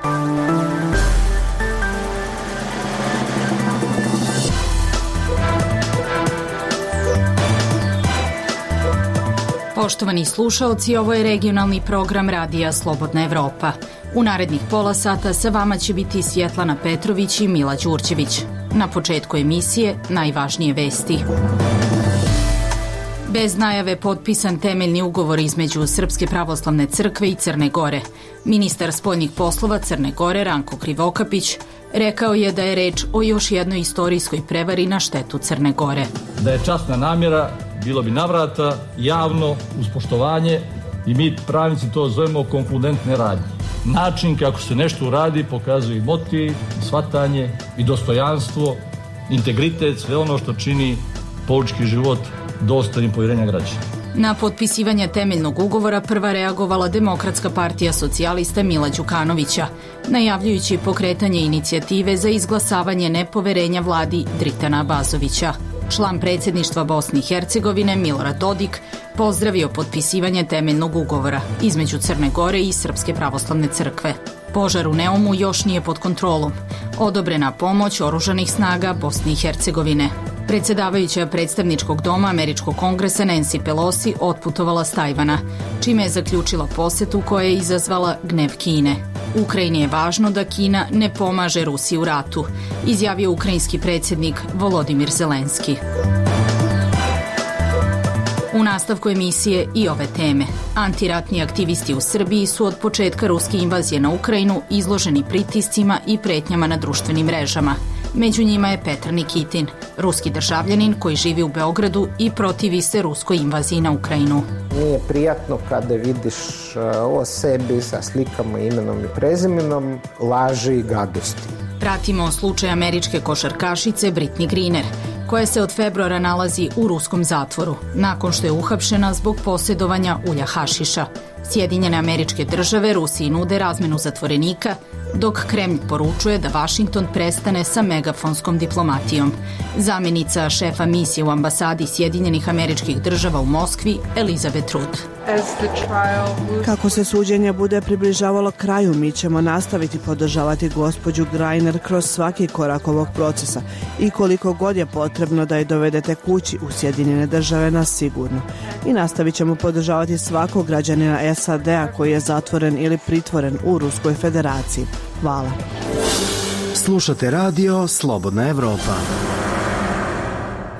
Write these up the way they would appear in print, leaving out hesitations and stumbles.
Poštovani slušaoci, ovo je regionalni program Radija Slobodna Evropa. U narednih pola sata sa vama će biti Svjetlana Petrović i Mila Đurđević. Na početku emisije najvažnije vesti. Bez najave potpisan temeljni ugovor između Srpske pravoslavne crkve i Crne Gore. Ministar spoljnih poslova Crne Gore Ranko Krivokapić rekao je da je reč o još jednoj istorijskoj prevari na štetu Crne Gore. Da je časna namjera, bilo bi navrata, javno, uz poštovanje, i mi pravnici to zovemo konkludentne radnje. Način kako se nešto uradi pokazuje i motiv, i shvatanje, i dostojanstvo, integritet, sve ono što čini politički život dostojnim povjerenja građana. Na potpisivanje temeljnog ugovora prva reagovala Demokratska partija socijalista Mila Đukanovića, najavljujući pokretanje inicijative za izglasavanje nepoverenja vladi Dritana Abazovića. Član predsjedništva Bosne i Hercegovine Milorad Dodik pozdravio potpisivanje temeljnog ugovora između Crne Gore i Srpske pravoslavne crkve. Požar u Neumu još nije pod kontrolom. Odobrena pomoć oružanih snaga Bosne i Hercegovine. Predsjedavajuća predstavničkog doma Američkog kongresa Nancy Pelosi otputovala s Tajvana, čime je zaključila posetu koja je izazvala gnev Kine. Ukrajini je važno da Kina ne pomaže Rusiji u ratu, izjavio ukrajinski predsjednik Volodimir Zelenski. U nastavku emisije i ove teme. Antiratni aktivisti u Srbiji su od početka ruske invazije na Ukrajinu izloženi pritiscima i pretnjama na društvenim mrežama. Među njima je Petar Nikitin, ruski državljanin koji živi u Beogradu i protivi se ruskoj invaziji na Ukrajinu. Nije prijatno kada vidiš o sebi sa slikama, imenom i prezimenom, laži i gadosti. Pratimo slučaj američke košarkašice Britney Griner, koja se od februara nalazi u ruskom zatvoru, nakon što je uhapšena zbog posjedovanja ulja hašiša. Sjedinjene Američke Države Rusiji nude razmenu zatvorenika, dok Kremlj poručuje da Vašington prestane sa megafonskom diplomatijom. Zamjenica šefa misije u ambasadi Sjedinjenih Američkih Država u Moskvi, Elizabeth Rudd. Kako se suđenje bude približavalo kraju, mi ćemo nastaviti podržavati gospođu Griner kroz svaki korak ovog procesa i koliko god je potrebno da je dovedete kući u Sjedinjene Države na sigurno. I nastavit ćemo podržavati svakog građanina SAD-a koji je zatvoren ili pritvoren u Ruskoj federaciji. Hvala. Slušate radio Slobodna Evropa.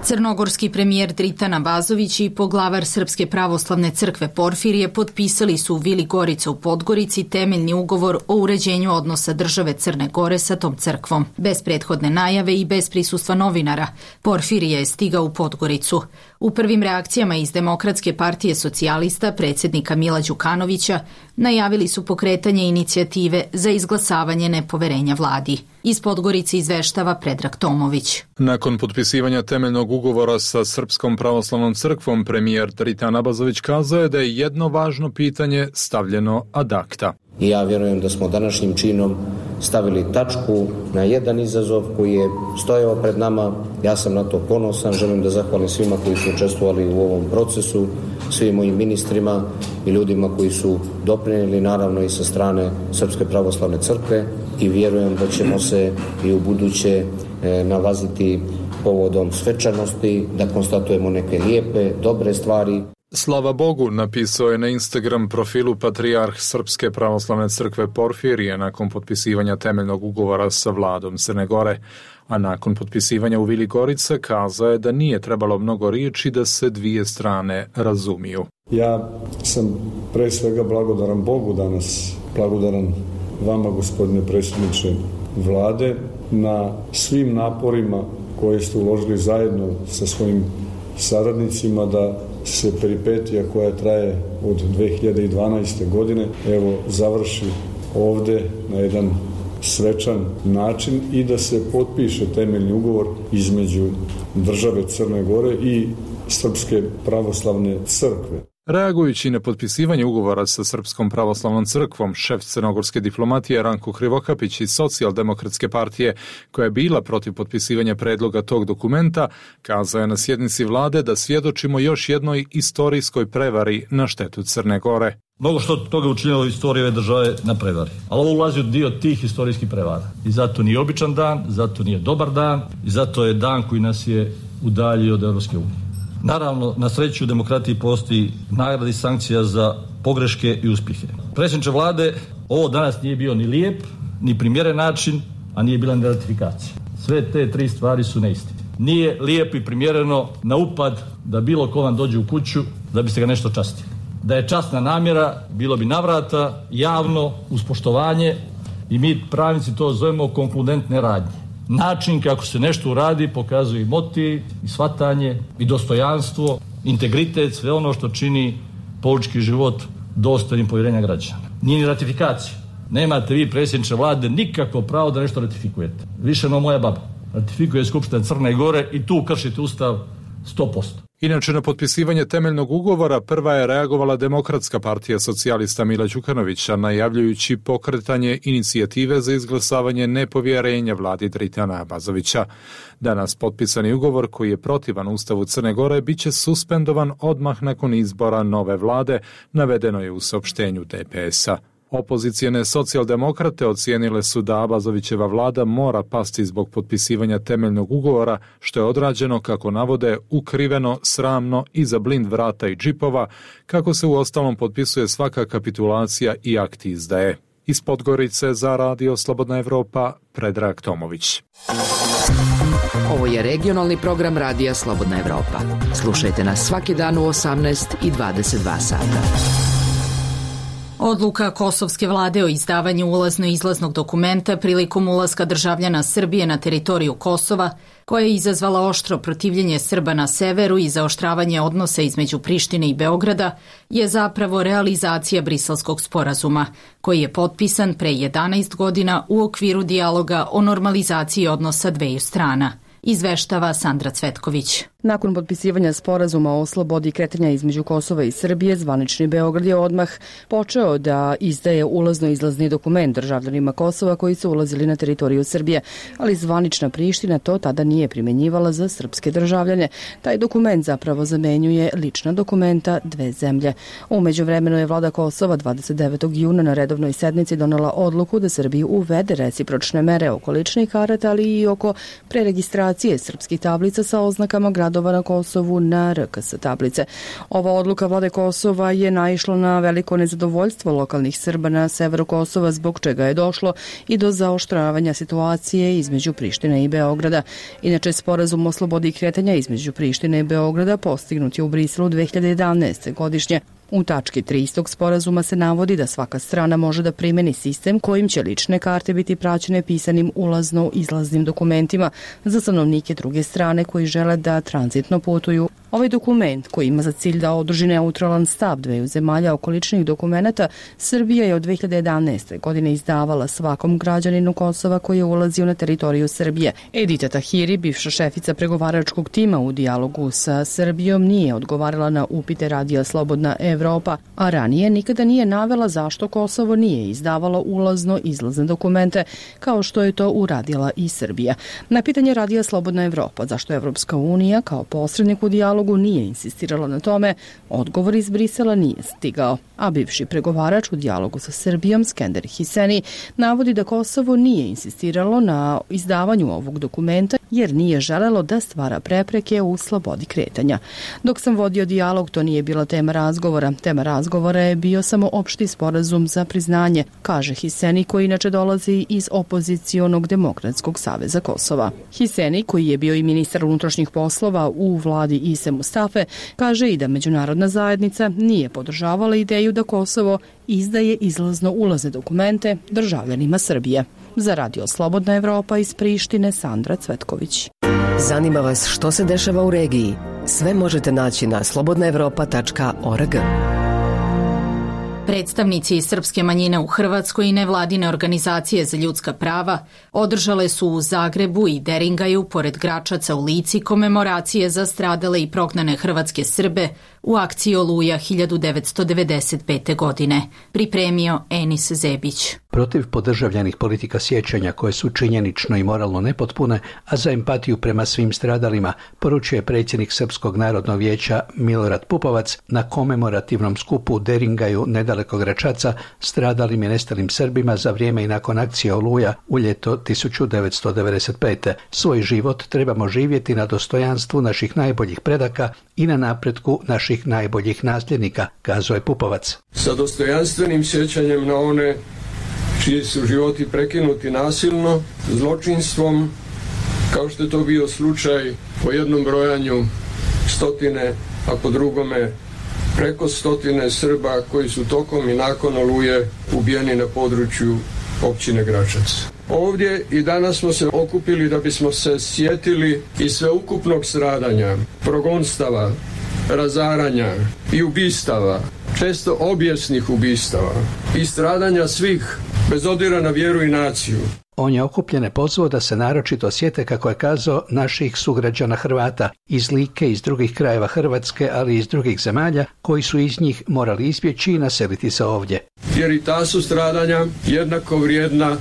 Crnogorski premijer Dritan Abazović i poglavar Srpske pravoslavne crkve Porfirije potpisali su u Vili Gorica u Podgorici temeljni ugovor o uređenju odnosa države Crne Gore sa tom crkvom. Bez prethodne najave i bez prisustva novinara, Porfirije je stigao u Podgoricu. U prvim reakcijama iz Demokratske partije socijalista predsjednika Mila Đukanovića najavili su pokretanje inicijative za izglasavanje nepoverenja vladi. Iz Podgorice izveštava Predrag Tomović. Nakon potpisivanja temeljnog ugovora sa Srpskom pravoslavnom crkvom, premijer Dritan Abazović kazao je da je jedno važno pitanje stavljeno ad acta. I ja vjerujem da smo današnjim činom stavili tačku na jedan izazov koji je stojao pred nama. Ja sam na to ponosan, želim da zahvalim svima koji su učestvovali u ovom procesu, svim mojim ministrima i ljudima koji su doprinijeli, naravno i sa strane Srpske pravoslavne crkve, i vjerujem da ćemo se i u buduće nalaziti povodom svečanosti, da konstatujemo neke lijepe, dobre stvari. Slava Bogu, napisao je na Instagram profilu patrijarh Srpske pravoslavne crkve Porfirije nakon potpisivanja temeljnog ugovora sa vladom Crne Gore, a nakon potpisivanja u Vili Gorica kazao je da nije trebalo mnogo riječi da se dvije strane razumiju. Ja sam pre svega blagodaran Bogu danas, blagodaran vama, gospodine predsjedniče vlade, na svim naporima koje ste uložili zajedno sa svojim saradnicima da se peripetija koja traje od 2012. godine završi ovdje na jedan svečan način i da se potpiše temeljni ugovor između države Crne Gore i Srpske pravoslavne crkve. Reagujući na potpisivanje ugovora sa Srpskom pravoslavnom crkvom, šef crnogorske diplomatije Ranko Krivokapić iz Socijaldemokratske partije, koja je bila protiv potpisivanja predloga tog dokumenta, kazao je na sjednici vlade da svjedočimo još jednoj istorijskoj prevari na štetu Crne Gore. Mnogo što toga učinilo u istoriji ove države na prevari, ali ovo ulazi u dio tih istorijskih prevara. I zato nije običan dan, zato nije dobar dan i zato je dan koji nas je udaljio od Europske unije. Naravno, na sreću u demokratiji postoji nagrada i sankcija za pogreške i uspjehe. Predsjedniče vlade, ovo danas nije bio ni lijep, ni primjeren način, a nije bila ni ratifikacija. Sve te tri stvari su neistine. Nije lijepo i primjereno na upad da bilo ko vam dođe u kuću da biste ga nešto častili. Da je časna namjera, bilo bi navrata, javno, uz poštovanje i mi pravnici to zovemo konkludentne radnje. Način kako se nešto uradi pokazuje i motiv, i shvatanje, i dostojanstvo, integritet, sve ono što čini politički život dostojnim povjerenja građana. Nije ni ratifikacija. Nemate vi, predsjedniče vlade, nikakvo pravo da nešto ratifikujete. Više no moja baba. Ratifikuje Skupština Crne Gore i tu kršite Ustav 100%. Inače, na potpisivanje temeljnog ugovora prva je reagovala Demokratska partija socijalista Mila Đukanovića, najavljujući pokretanje inicijative za izglasavanje nepovjerenja vladi Dritana Abazovića. Danas potpisani ugovor, koji je protivan Ustavu Crne Gore, bit će suspendovan odmah nakon izbora nove vlade, navedeno je u saopštenju DPS-a. Opozicijene socijaldemokrate ocijenile su da Abazovićeva vlada mora pasti zbog potpisivanja temeljnog ugovora, što je odrađeno, kako navode, ukriveno, sramno, iza blind vrata i džipova, kako se uostalom potpisuje svaka kapitulacija i akt izdaje. Iz Podgorice za Radio Slobodna Evropa, Predrag Tomović. Ovo je regionalni program Radija Slobodna Evropa. Slušajte nas svaki dan u 18 i 22 sata. Odluka kosovske vlade o izdavanju ulazno-izlaznog dokumenta prilikom ulaska državljana Srbije na teritoriju Kosova, koja je izazvala oštro protivljenje Srba na severu i zaoštravanje odnosa između Prištine i Beograda, je zapravo realizacija Briselskog sporazuma, koji je potpisan pre 11 godina u okviru dijaloga o normalizaciji odnosa dveju strana. Izveštava Sandra Cvetković. Nakon potpisivanja sporazuma o slobodi kretanja između Kosova i Srbije, zvanični Beograd je odmah počeo da izdaje ulazno-izlazni dokument državljanima Kosova koji su ulazili na teritoriju Srbije, ali zvanična Priština to tada nije primjenjivala za srpske državljane. Taj dokument zapravo zamenjuje lična dokumenta dve zemlje. U međuvremenu je vlada Kosova 29. juna na redovnoj sednici donela odluku da Srbiji uvede recipročne mere oko ličnih karata, ali i oko preregistracije srpskih tablica sa oznakama gradova na Kosovu na RKS tablice. Ova odluka vlade Kosova je naišla na veliko nezadovoljstvo lokalnih Srba na severu Kosova, zbog čega je došlo i do zaoštravanja situacije između Prištine i Beograda. Inače, sporazum o slobodi kretanja između Prištine i Beograda postignut je u Briselu 2011. godišnje. U tački 3 istog sporazuma se navodi da svaka strana može da primeni sistem kojim će lične karte biti praćene pisanim ulazno-izlaznim dokumentima za stanovnike druge strane koji žele da tranzitno putuju. Ovaj dokument, koji ima za cilj da održi neutralan stav dveju zemalja oko ličnih dokumenata, Srbija je od 2011. godine izdavala svakom građaninu Kosova koji je ulazio na teritoriju Srbije. Edita Tahiri, bivša šefica pregovaračkog tima u dijalogu sa Srbijom, nije odgovarala na upite Radija Slobodna Evropa, a ranije nikada nije navela zašto Kosovo nije izdavalo ulazno-izlazne dokumente, kao što je to uradila i Srbija. Na pitanje Radija Slobodna Evropa zašto Evropska unija kao posrednik u dijalogu nije insistirala na tome, odgovor iz Brisela nije stigao, a bivši pregovarač u dijalogu sa Srbijom, Skender Hiseni, navodi da Kosovo nije insistiralo na izdavanju ovog dokumenta jer nije želelo da stvara prepreke u slobodi kretanja. Dok sam vodio dijalog, to nije bila tema razgovora. Tema razgovora je bio samo opšti sporazum za priznanje, kaže Hiseni, koji inače dolazi iz opozicionog Demokratskog saveza Kosova. Hiseni, koji je bio i ministar unutrašnjih poslova u vladi Ise Mustafe, kaže i da međunarodna zajednica nije podržavala ideju da Kosovo izdaje izlazno-ulazne dokumente državljanima Srbije. Za Radio Slobodna Evropa iz Prištine, Sandra Cvetković. Zanima vas što se dešava u regiji? Sve možete naći na slobodnaevropa.org. Predstavnici srpske manjine u Hrvatskoj i nevladine organizacije za ljudska prava održale su u Zagrebu i Deringaju, pored Gračaca u Lici, komemoracije za stradale i prognane hrvatske Srbe u akciji Oluja 1995. godine. Pripremio Enis Zebić. Protiv podržavljenih politika sjećanja koje su činjenično i moralno nepotpune, a za empatiju prema svim stradalima, poručuje predsjednik Srpskog narodnog vijeća Milorad Pupovac na komemorativnom skupu u Deringaju nedaleko Gračaca stradalim i nestalim Srbima za vrijeme i nakon akcije Oluja u ljeto 1995. Svoj život trebamo živjeti na dostojanstvu naših najboljih predaka i na napretku naših najboljih nasljednika, kazao je Pupovac. Sa dostojanstvenim sjećanjem na one čiji su životi prekinuti nasilno, zločinstvom, kao što je to bio slučaj po jednom brojanju stotine, a po drugome preko stotine Srba koji su tokom i nakon Oluje ubijeni na području općine Gračac. Ovdje i danas smo se okupili da bismo se sjetili i sveukupnog stradanja, progonstava, razaranja i ubistava, često obijesnih ubistava i stradanja svih, bez obzira na vjeru i naciju. On je okupljene pozvao da se naročito sjete, kako je kazao, naših sugrađana Hrvata iz Like, iz drugih krajeva Hrvatske, ali i iz drugih zemalja, koji su iz njih morali izbjeći i naseliti se ovdje. Jer i ta su stradanja jednako vrijedna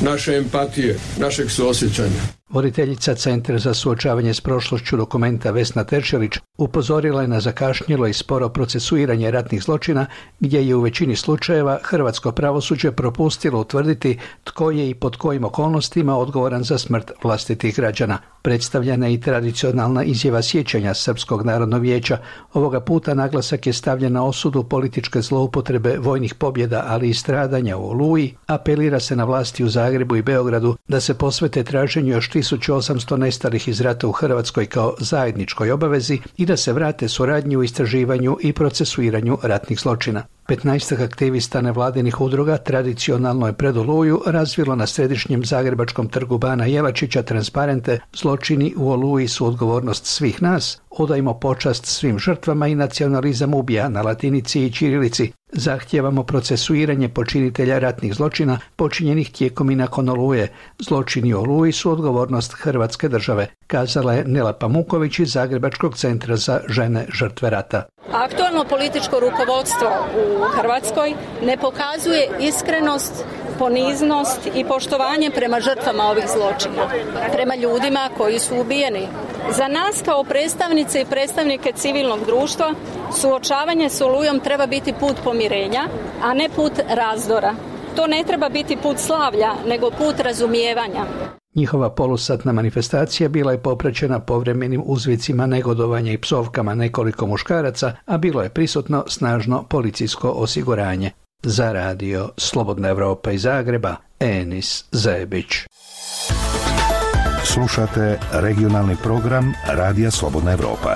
naše empatije, našeg suosjećanja. Voditeljica Centra za suočavanje s prošlošću Dokumenta Vesna Teršelić upozorila je na zakašnjelo i sporo procesuiranje ratnih zločina, gdje je u većini slučajeva hrvatsko pravosuđe propustilo utvrditi tko je i pod kojim okolnostima odgovoran za smrt vlastitih građana. Predstavljena je i tradicionalna izjava sjećanja Srpskog narodnog vijeća. Ovoga puta naglasak je stavljen na osudu političke zloupotrebe vojnih pobjeda, ali i stradanja u Oluji. Apelira se na vlasti u Zagrebu i Beogradu da se posvete traženju još 1800 nestalih iz rata u Hrvatskoj kao zajedničkoj obavezi i da se vrate suradnji u istraživanju i procesuiranju ratnih zločina. 15 aktivista nevladinih udruga tradicionalno je pred Oluju razvilo na središnjem zagrebačkom trgu Bana Jelačića transparente "Zločini u Oluji su odgovornost svih nas, odajmo počast svim žrtvama i nacionalizam ubija" na latinici i ćirilici. Zahtijevamo procesuiranje počinitelja ratnih zločina počinjenih tijekom i nakon Oluje. Zločini u Oluji su odgovornost Hrvatske države, kazala je Nela Pamuković iz Zagrebačkog centra za žene žrtve rata. Aktualno političko rukovodstvo u Hrvatskoj ne pokazuje iskrenost, poniznost i poštovanje prema žrtvama ovih zločina, prema ljudima koji su ubijeni. Za nas kao predstavnice i predstavnike civilnog društva suočavanje s Olujom treba biti put pomirenja, a ne put razdora. To ne treba biti put slavlja, nego put razumijevanja. Njihova polusatna manifestacija bila je popraćena povremenim uzvicima negodovanja i psovkama nekoliko muškaraca, a bilo je prisutno snažno policijsko osiguranje. Za radio Slobodna Evropa iz Zagreba, Enis Zebić. Slušate regionalni program Radija Slobodna Evropa.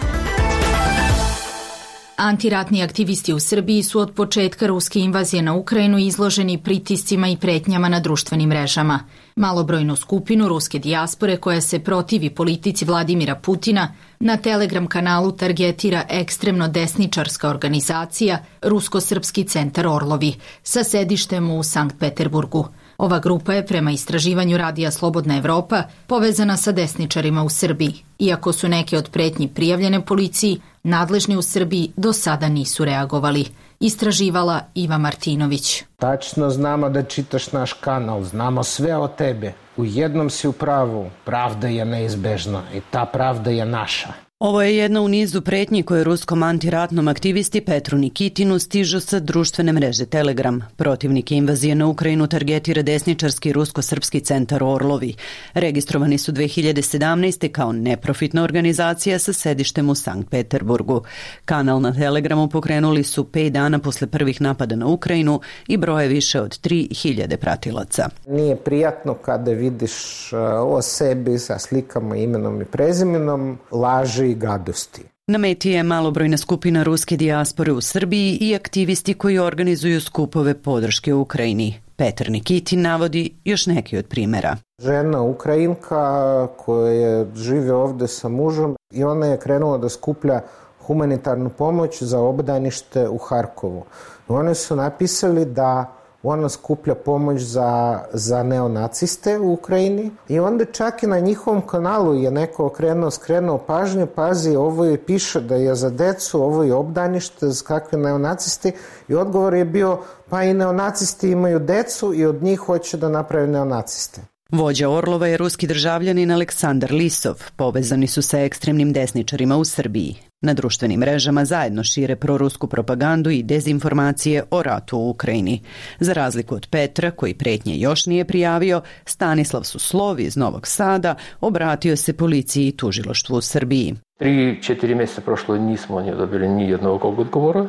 Antiratni aktivisti u Srbiji su od početka ruske invazije na Ukrajinu izloženi pritiscima i pretnjama na društvenim mrežama. Malobrojnu skupinu ruske dijaspore koja se protivi politici Vladimira Putina na Telegram kanalu targetira ekstremno desničarska organizacija Rusko-srpski centar Orlovi sa sedištem u Sankt Peterburgu. Ova grupa je prema istraživanju Radija Slobodna Evropa povezana sa desničarima u Srbiji. Iako su neke od pretnji prijavljene policiji, nadležni u Srbiji do sada nisu reagovali. Istraživala Iva Martinović. Tačno znamo da čitaš naš kanal, znamo sve o tebe. U jednom si u pravu, pravda je neizbežna i ta pravda je naša. Ovo je jedna u nizu pretnji koje ruskom antiratnom aktivisti Petru Nikitinu stižu sa društvene mreže Telegram. Protivnik invazije na Ukrajinu targetira desničarski rusko-srpski centar Orlovi. Registrovani su 2017. kao neprofitna organizacija sa sedištem u Sankt Peterburgu. Kanal na Telegramu pokrenuli su 5 dana posle prvih napada na Ukrajinu i broje više od 3000 pratilaca. Nije prijatno kada vidiš o sebi sa slikama, imenom i prezimenom, laži i gadosti. Na meti je malobrojna skupina ruske dijaspore u Srbiji i aktivisti koji organizuju skupove podrške Ukrajini. Petar Nikitin navodi još neki od primjera. Žena Ukrajinka koja žive ovdje sa mužem i ona je krenula da skuplja humanitarnu pomoć za obdanište u Harkovu. Oni su napisali da ona skuplja pomoć za neonaciste u Ukrajini i onda čak i na njihovom kanalu je neko skrenuo pažnju, pazi, ovo je piše da je za decu, ovo je obdanište, za kakve neonacisti, i odgovor je bio, pa i neonacisti imaju decu i od njih hoće da naprave neonaciste. Vođa Orlova je ruski državljanin Aleksandar Lisov. Povezani su sa ekstremnim desničarima u Srbiji. Na društvenim mrežama zajedno šire prorusku propagandu i dezinformacije o ratu u Ukrajini. Za razliku od Petra, koji pretnje još nije prijavio, Stanislav Suslov iz Novog Sada obratio se policiji i tužilaštvu u Srbiji. 3-4 mjeseca prošlo nismo dobili ni jednog odgovora.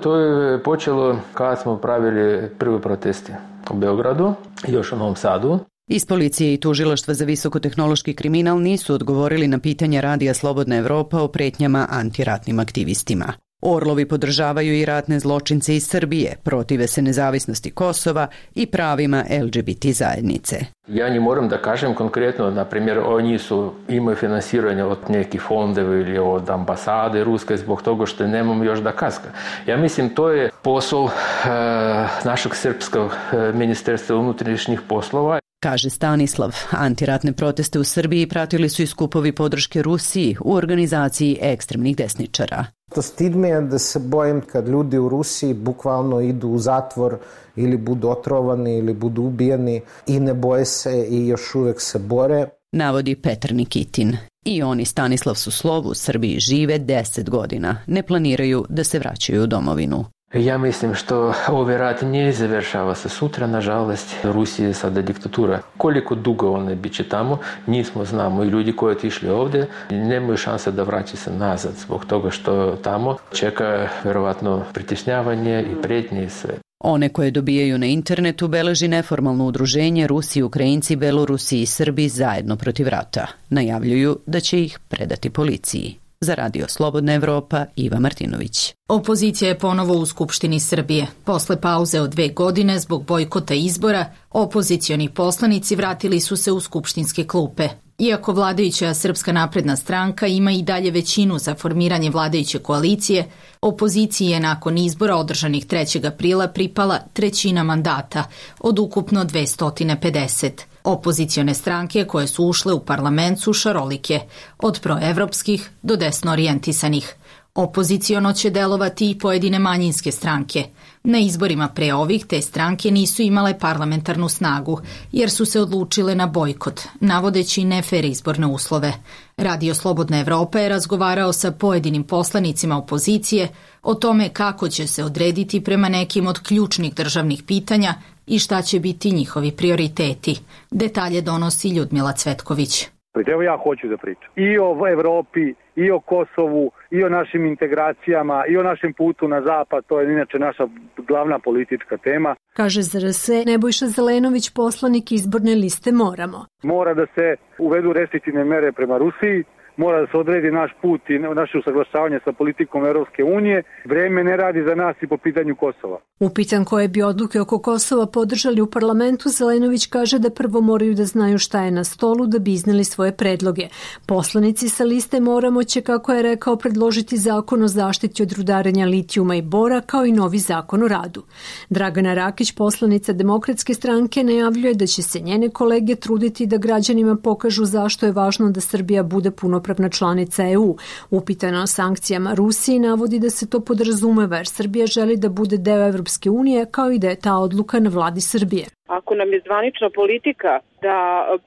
To je počelo kada smo pravili prve proteste u Beogradu i još u Novom Sadu. Iz policije i tužilaštva za visokotehnološki kriminal nisu odgovorili na pitanja Radija Slobodna Evropa o pretnjama antiratnim aktivistima. Orlovi podržavaju i ratne zločince iz Srbije, protive se nezavisnosti Kosova i pravima LGBT zajednice. Ja ne moram da kažem konkretno, na primjer, oni imaju finansiranje od nekih fondova ili od ambasade ruske zbog toga što nemamo još dokaza. Ja mislim, to je posao našeg srpskog ministarstva unutrašnjih poslova. Kaže Stanislav, antiratne proteste u Srbiji pratili su i skupovi podrške Rusiji u organizaciji ekstremnih desničara. To stid me je da se bojim kad ljudi u Rusiji bukvalno idu u zatvor ili budu otrovani ili budu ubijeni i ne boje se i još uvek se bore. Navodi Petar Nikitin. I oni Stanislav Suslov u Srbiji žive 10 godina. Ne planiraju da se vraćaju u domovinu. Ja mislim što ovaj rat ne završava se sutra, nažalost. Rusija je sada diktatura. Koliko dugo ona bit će tamo, nismo znamo. I ljudi koji otišli ovdje nemaju šanse da vraćaju se nazad zbog toga što tamo čeka vjerovatno pritišnjavanje i prijetnje i sve. One koje dobijaju na internetu beleži neformalno udruženje Rusi, Ukrajinci, Belorusi i Srbi zajedno protiv rata. Najavljuju da će ih predati policiji. Za Radio Slobodna Evropa, Iva Martinović. Opozicija je ponovo u Skupštini Srbije. Posle pauze od 2 godine zbog bojkota izbora, opozicioni poslanici vratili su se u skupštinske klupe. Iako vladajuća Srpska napredna stranka ima i dalje većinu za formiranje vladajuće koalicije, opoziciji je nakon izbora održanih 3. aprila pripala 1/3 mandata od ukupno 250. Opozicione stranke koje su ušle u parlament su šarolike, od proevropskih do desno orijentisanih. Opoziciono će delovati i pojedine manjinske stranke. Na izborima pre ovih te stranke nisu imale parlamentarnu snagu, jer su se odlučile na bojkot, navodeći nefer izborne uslove. Radio Slobodna Evropa je razgovarao sa pojedinim poslanicima opozicije o tome kako će se odrediti prema nekim od ključnih državnih pitanja i šta će biti njihovi prioriteti. Detalje donosi Ljudmila Cvetković. Evo ja hoću da pričam i o Evropi, i o Kosovu, i o našim integracijama, i o našem putu na zapad, to je inače naša glavna politička tema. Kaže za RS Nebojša Zelenović, poslanik izborne liste Moramo. Mora da se uvedu restriktivne mere prema Rusiji, mora da se odredi naš put i naše usaglašavanje sa politikom Europske unije. Vreme ne radi za nas i po pitanju Kosova. Upitan koje bi odluke oko Kosova podržali u parlamentu, Zelenović kaže da prvo moraju da znaju šta je na stolu da bi izneli svoje predloge. Poslanici sa liste Moramo će, kako je rekao, predložiti zakon o zaštiti od rudarenja litijuma i bora, kao i novi zakon o radu. Dragana Rakić, poslanica Demokratske stranke, najavljuje da će se njene kolege truditi da građanima pokažu zašto je važno da Srbija bude punopravna članica EU. Upitana o sankcijama Rusiji navodi da se to podrazumeva jer Srbija želi da bude deo Evropske unije, kao i da je ta odluka na vladi Srbije. Ako nam je zvanična politika da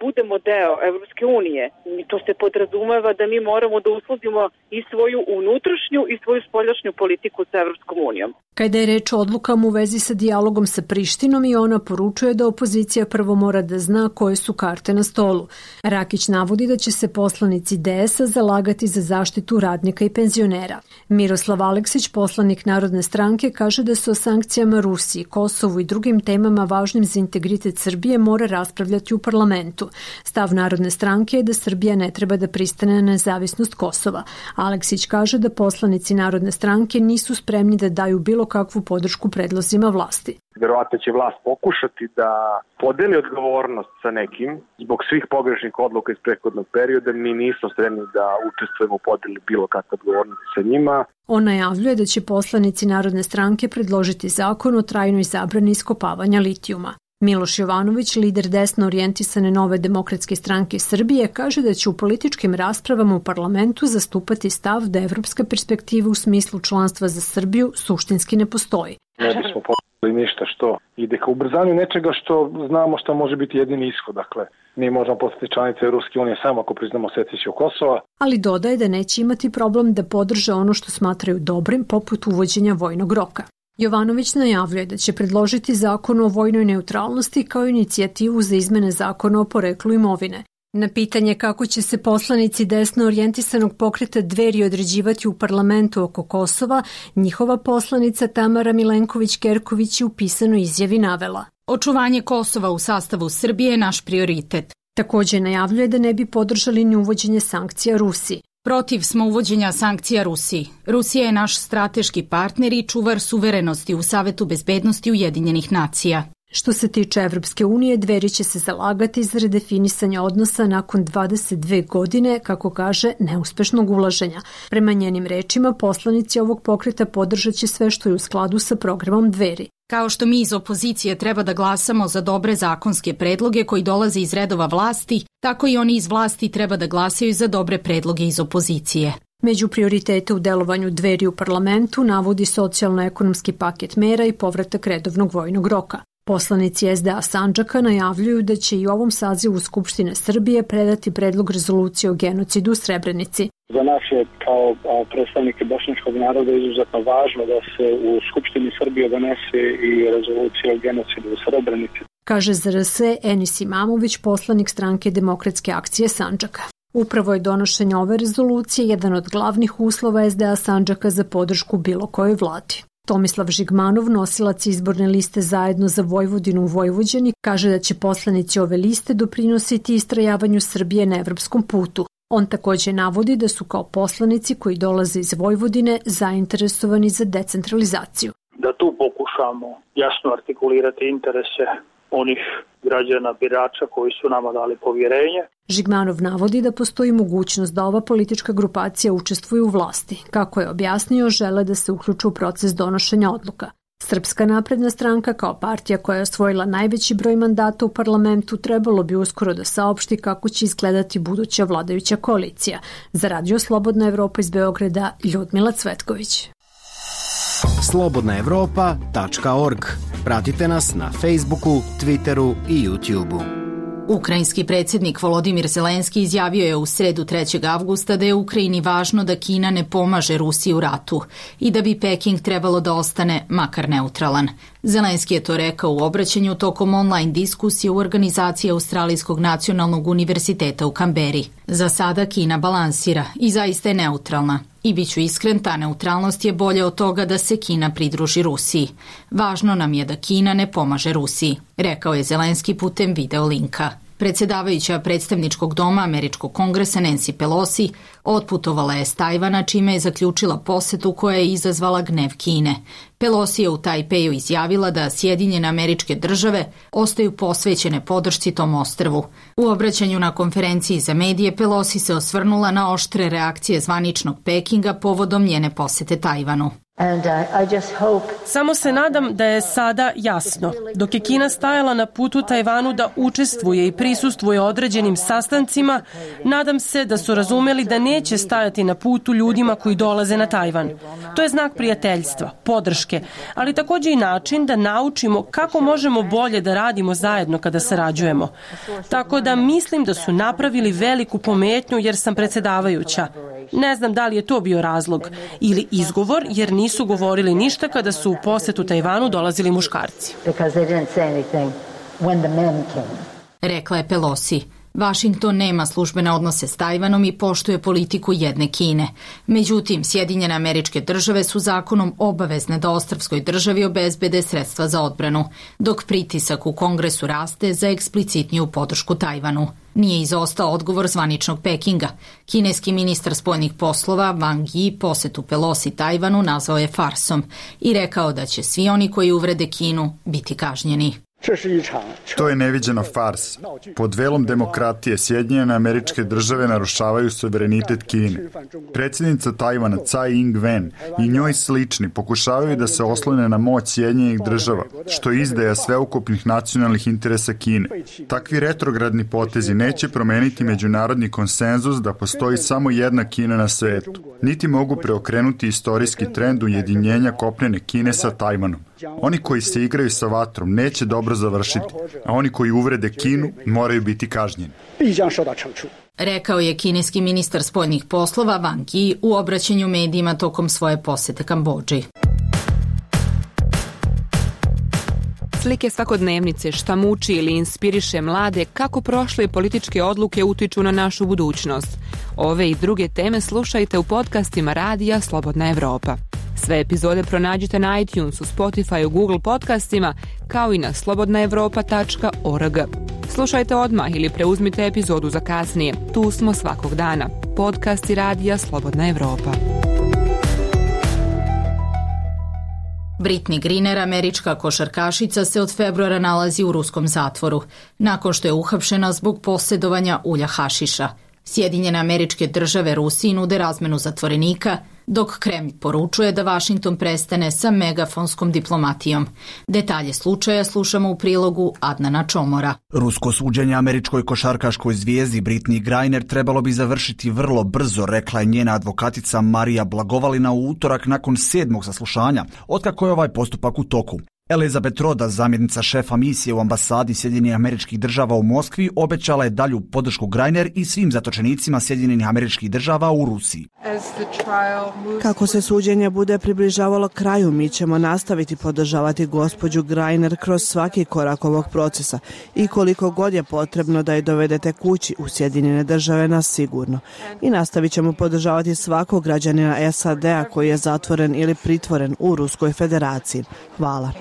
budemo deo Evropske unije, to se podrazumeva da mi moramo da uskladimo i svoju unutrašnju i svoju spoljašnju politiku sa Evropskom unijom. Kada je reč o odlukama u vezi sa dijalogom sa Prištinom, i ona poručuje da opozicija prvo mora da zna koje su karte na stolu. Rakić navodi da će se poslanici DS-a zalagati za zaštitu radnika i penzionera. Miroslav Aleksić, poslanik Narodne stranke, kaže da se o sankcijama Rusiji, Kosovu i drugim temama važnim za integritet Srbije mora raspravljati u parlamentu. Stav Narodne stranke je da Srbija ne treba da pristane na nezavisnost Kosova. Aleksić kaže da poslanici Narodne stranke nisu spremni da daju bilo kakvu podršku predlozima vlasti. Verovatno će vlast pokušati da podeli odgovornost sa nekim zbog svih pogrešnih odluka iz prethodnog perioda. Mi nismo spremni da učestvujemo u podeli bilo kakve odgovornosti sa njima. On najavljuje da će poslanici Narodne stranke predložiti zakon o trajnoj zabrani iskopavanja litijuma. Miloš Jovanović, lider desno orijentisane Nove demokratske stranke Srbije, kaže da će u političkim raspravama u parlamentu zastupati stav da evropska perspektiva u smislu članstva za Srbiju suštinski ne postoji. Ne bismo podeli ništa što ide ka ubrzanju nečega što znamo šta može biti jedini ishod. Dakle, mi možemo postati članice Evropske unije samo ako priznamo secesiju Kosova. Ali dodaje da neće imati problem da podrže ono što smatraju dobrim, poput uvođenja vojnog roka. Jovanović najavljuje da će predložiti zakon o vojnoj neutralnosti kao inicijativu za izmene zakona o poreklu imovine. Na pitanje kako će se poslanici desno orijentisanog pokreta Dveri određivati u parlamentu oko Kosova, njihova poslanica Tamara Milenković-Kerković je u pisanoj izjavi navela: Očuvanje Kosova u sastavu Srbije je naš prioritet. Također najavljuje da ne bi podržali ni uvođenje sankcija Rusiji. Protiv smo uvođenja sankcija Rusiji. Rusija je naš strateški partner i čuvar suverenosti u Savetu bezbednosti Ujedinjenih nacija. Što se tiče Evropske unije, Dveri će se zalagati za redefinisanje odnosa nakon 22 godine, kako kaže, neuspešnog ulaženja. Prema njenim rečima, poslanici ovog pokreta podržat će sve što je u skladu sa programom Dveri. Kao što mi iz opozicije treba da glasamo za dobre zakonske predloge koji dolaze iz redova vlasti, tako i oni iz vlasti treba da glasaju za dobre predloge iz opozicije. Među prioritete u delovanju Dveri u parlamentu navodi socijalno-ekonomski paket mera i povratak redovnog vojnog roka. Poslanici SDA Sandžaka najavljuju da će i u ovom sazivu Skupštine Srbije predati predlog rezolucije o genocidu u Srebrenici. Za nas je kao predstavnike bošnjačkog naroda izuzetno važno da se u Skupštini Srbije donese i rezolucija o genocidu u Srebrenici. Kaže ZRS Enis Imamović, poslanik stranke Demokratske akcije Sandžaka. Upravo je donošenje ove rezolucije jedan od glavnih uslova SDA Sandžaka za podršku bilo kojoj vladi. Tomislav Žigmanov, nosilac izborne liste Zajedno za Vojvodinu u Vojvođani, kaže da će poslanici ove liste doprinositi istrajavanju Srbije na evropskom putu. On također navodi da su kao poslanici koji dolaze iz Vojvodine zainteresovani za decentralizaciju. Da tu pokušamo jasno artikulirati interese onih građana birača koji su nama dali povjerenje. Žigmanov navodi da postoji mogućnost da ova politička grupacija učestvuje u vlasti. Kako je objasnio, žele da se uključe u proces donošenja odluka. Srpska napredna stranka kao partija koja je osvojila najveći broj mandata u parlamentu trebalo bi uskoro da saopšti kako će izgledati buduća vladajuća koalicija. Za Radio Slobodna Evropa iz Beograda, Ljudmila Cvetković. slobodnaevropa.org. Pratite nas na Facebooku, Twitteru i YouTubeu. Ukrajinski predsjednik Volodimir Zelenski izjavio je u sredu 3. avgusta da je Ukrajini važno da Kina ne pomaže Rusiji u ratu i da bi Peking trebalo da ostane makar neutralan. Zelenski je to rekao u obraćanju tokom online diskusije u organizaciji Australijskog nacionalnog univerziteta u Kamberi. Za sada Kina balansira i zaista je neutralna. I bit ću iskren, ta neutralnost je bolja od toga da se Kina pridruži Rusiji. Važno nam je da Kina ne pomaže Rusiji, rekao je Zelenski putem video linka. Predsjedavajuća predstavničkog doma Američkog kongresa Nancy Pelosi otputovala je s Tajvana, čime je zaključila posetu koja je izazvala gnev Kine. Pelosi je u Tajpeju izjavila da Sjedinjene Američke Države ostaju posvećene podršci tom ostrvu. U obraćanju na konferenciji za medije Pelosi se osvrnula na oštre reakcije zvaničnog Pekinga povodom njene posete Tajvanu. Samo se nadam da je sada jasno. Dok je Kina stajala na putu Tajvanu da učestvuje i prisustvuje određenim sastancima, nadam se da su razumeli da neće stajati na putu ljudima koji dolaze na Tajvan. To je znak prijateljstva, podrške, ali također i način da naučimo kako možemo bolje da radimo zajedno kada sarađujemo. Tako da mislim da su napravili veliku pometnju jer sam predsjedavajuća. Ne znam da li je to bio razlog ili izgovor jer nisu govorili ništa kada su u posetu Tajvanu dolazili muškarci. Rekla je Pelosi. Vašington nema službene odnose s Tajvanom i poštuje politiku jedne Kine. Međutim, Sjedinjene Američke Države su zakonom obavezne da ostrvskoj državi obezbede sredstva za odbranu, dok pritisak u Kongresu raste za eksplicitniju podršku Tajvanu. Nije izostao odgovor zvaničnog Pekinga. Kineski ministar spoljnih poslova Wang Yi posetu Pelosi Tajvanu nazvao je farsom i rekao da će svi oni koji uvrede Kinu biti kažnjeni. To je neviđena farsa. Pod velom demokratije Sjedinjene Američke Države narušavaju suverenitet Kine. Predsjednica Tajvana Tsai Ing-wen i njoj slični pokušavaju da se oslone na moć Sjedinjenih Država, što je izdaja sveukupnih nacionalnih interesa Kine. Takvi retrogradni potezi neće promeniti međunarodni konsenzus da postoji samo jedna Kina na svetu, niti mogu preokrenuti istorijski trend ujedinjenja kopnene Kine sa Tajvanom. Oni koji se igraju sa vatrom neće dobro završiti, a oni koji uvrede Kinu moraju biti kažnjeni. Rekao je kineski ministar spoljnih poslova Wang Yi u obraćanju medijima tokom svoje posete Kambodži. Slike svakodnevnice, šta muči ili inspiriše mlade, kako prošle političke odluke utiču na našu budućnost. Ove i druge teme slušajte u podcastima Radija Slobodna Evropa. Sve epizode pronađite na iTunesu, Spotifyu, Google podcastima, kao i na slobodnaevropa.org. Slušajte odmah ili preuzmite epizodu za kasnije. Tu smo svakog dana. Podcasti Radija Slobodna Evropa. Brittney Griner, američka košarkašica, se od februara nalazi u ruskom zatvoru, nakon što je uhapšena zbog posjedovanja ulja hašiša. Sjedinjene Američke Države Rusiji nude razmenu zatvorenika, dok Kremlj poručuje da Vašington prestane sa megafonskom diplomatijom. Detalje slučaja slušamo u prilogu Adnana Čomora. Rusko suđenje američkoj košarkaškoj zvijezdi Brittney Griner trebalo bi završiti vrlo brzo, rekla je njena advokatica Marija Blagovalina u utorak nakon 7. saslušanja, otkako je ovaj postupak u toku. Elizabeth Roda, zamjenica šefa misije u ambasadi Sjedinjenih Američkih Država u Moskvi, obećala je dalju podršku Griner i svim zatočenicima Sjedinjenih Američkih Država u Rusiji. Kako se suđenje bude približavalo kraju, mi ćemo nastaviti podržavati gospođu Griner kroz svaki korak ovog procesa i koliko god je potrebno da je dovedete kući u Sjedinjene Države nas sigurno. I nastavit ćemo podržavati svakog građanina SAD-a koji je zatvoren ili pritvoren u Ruskoj federaciji. Hvala.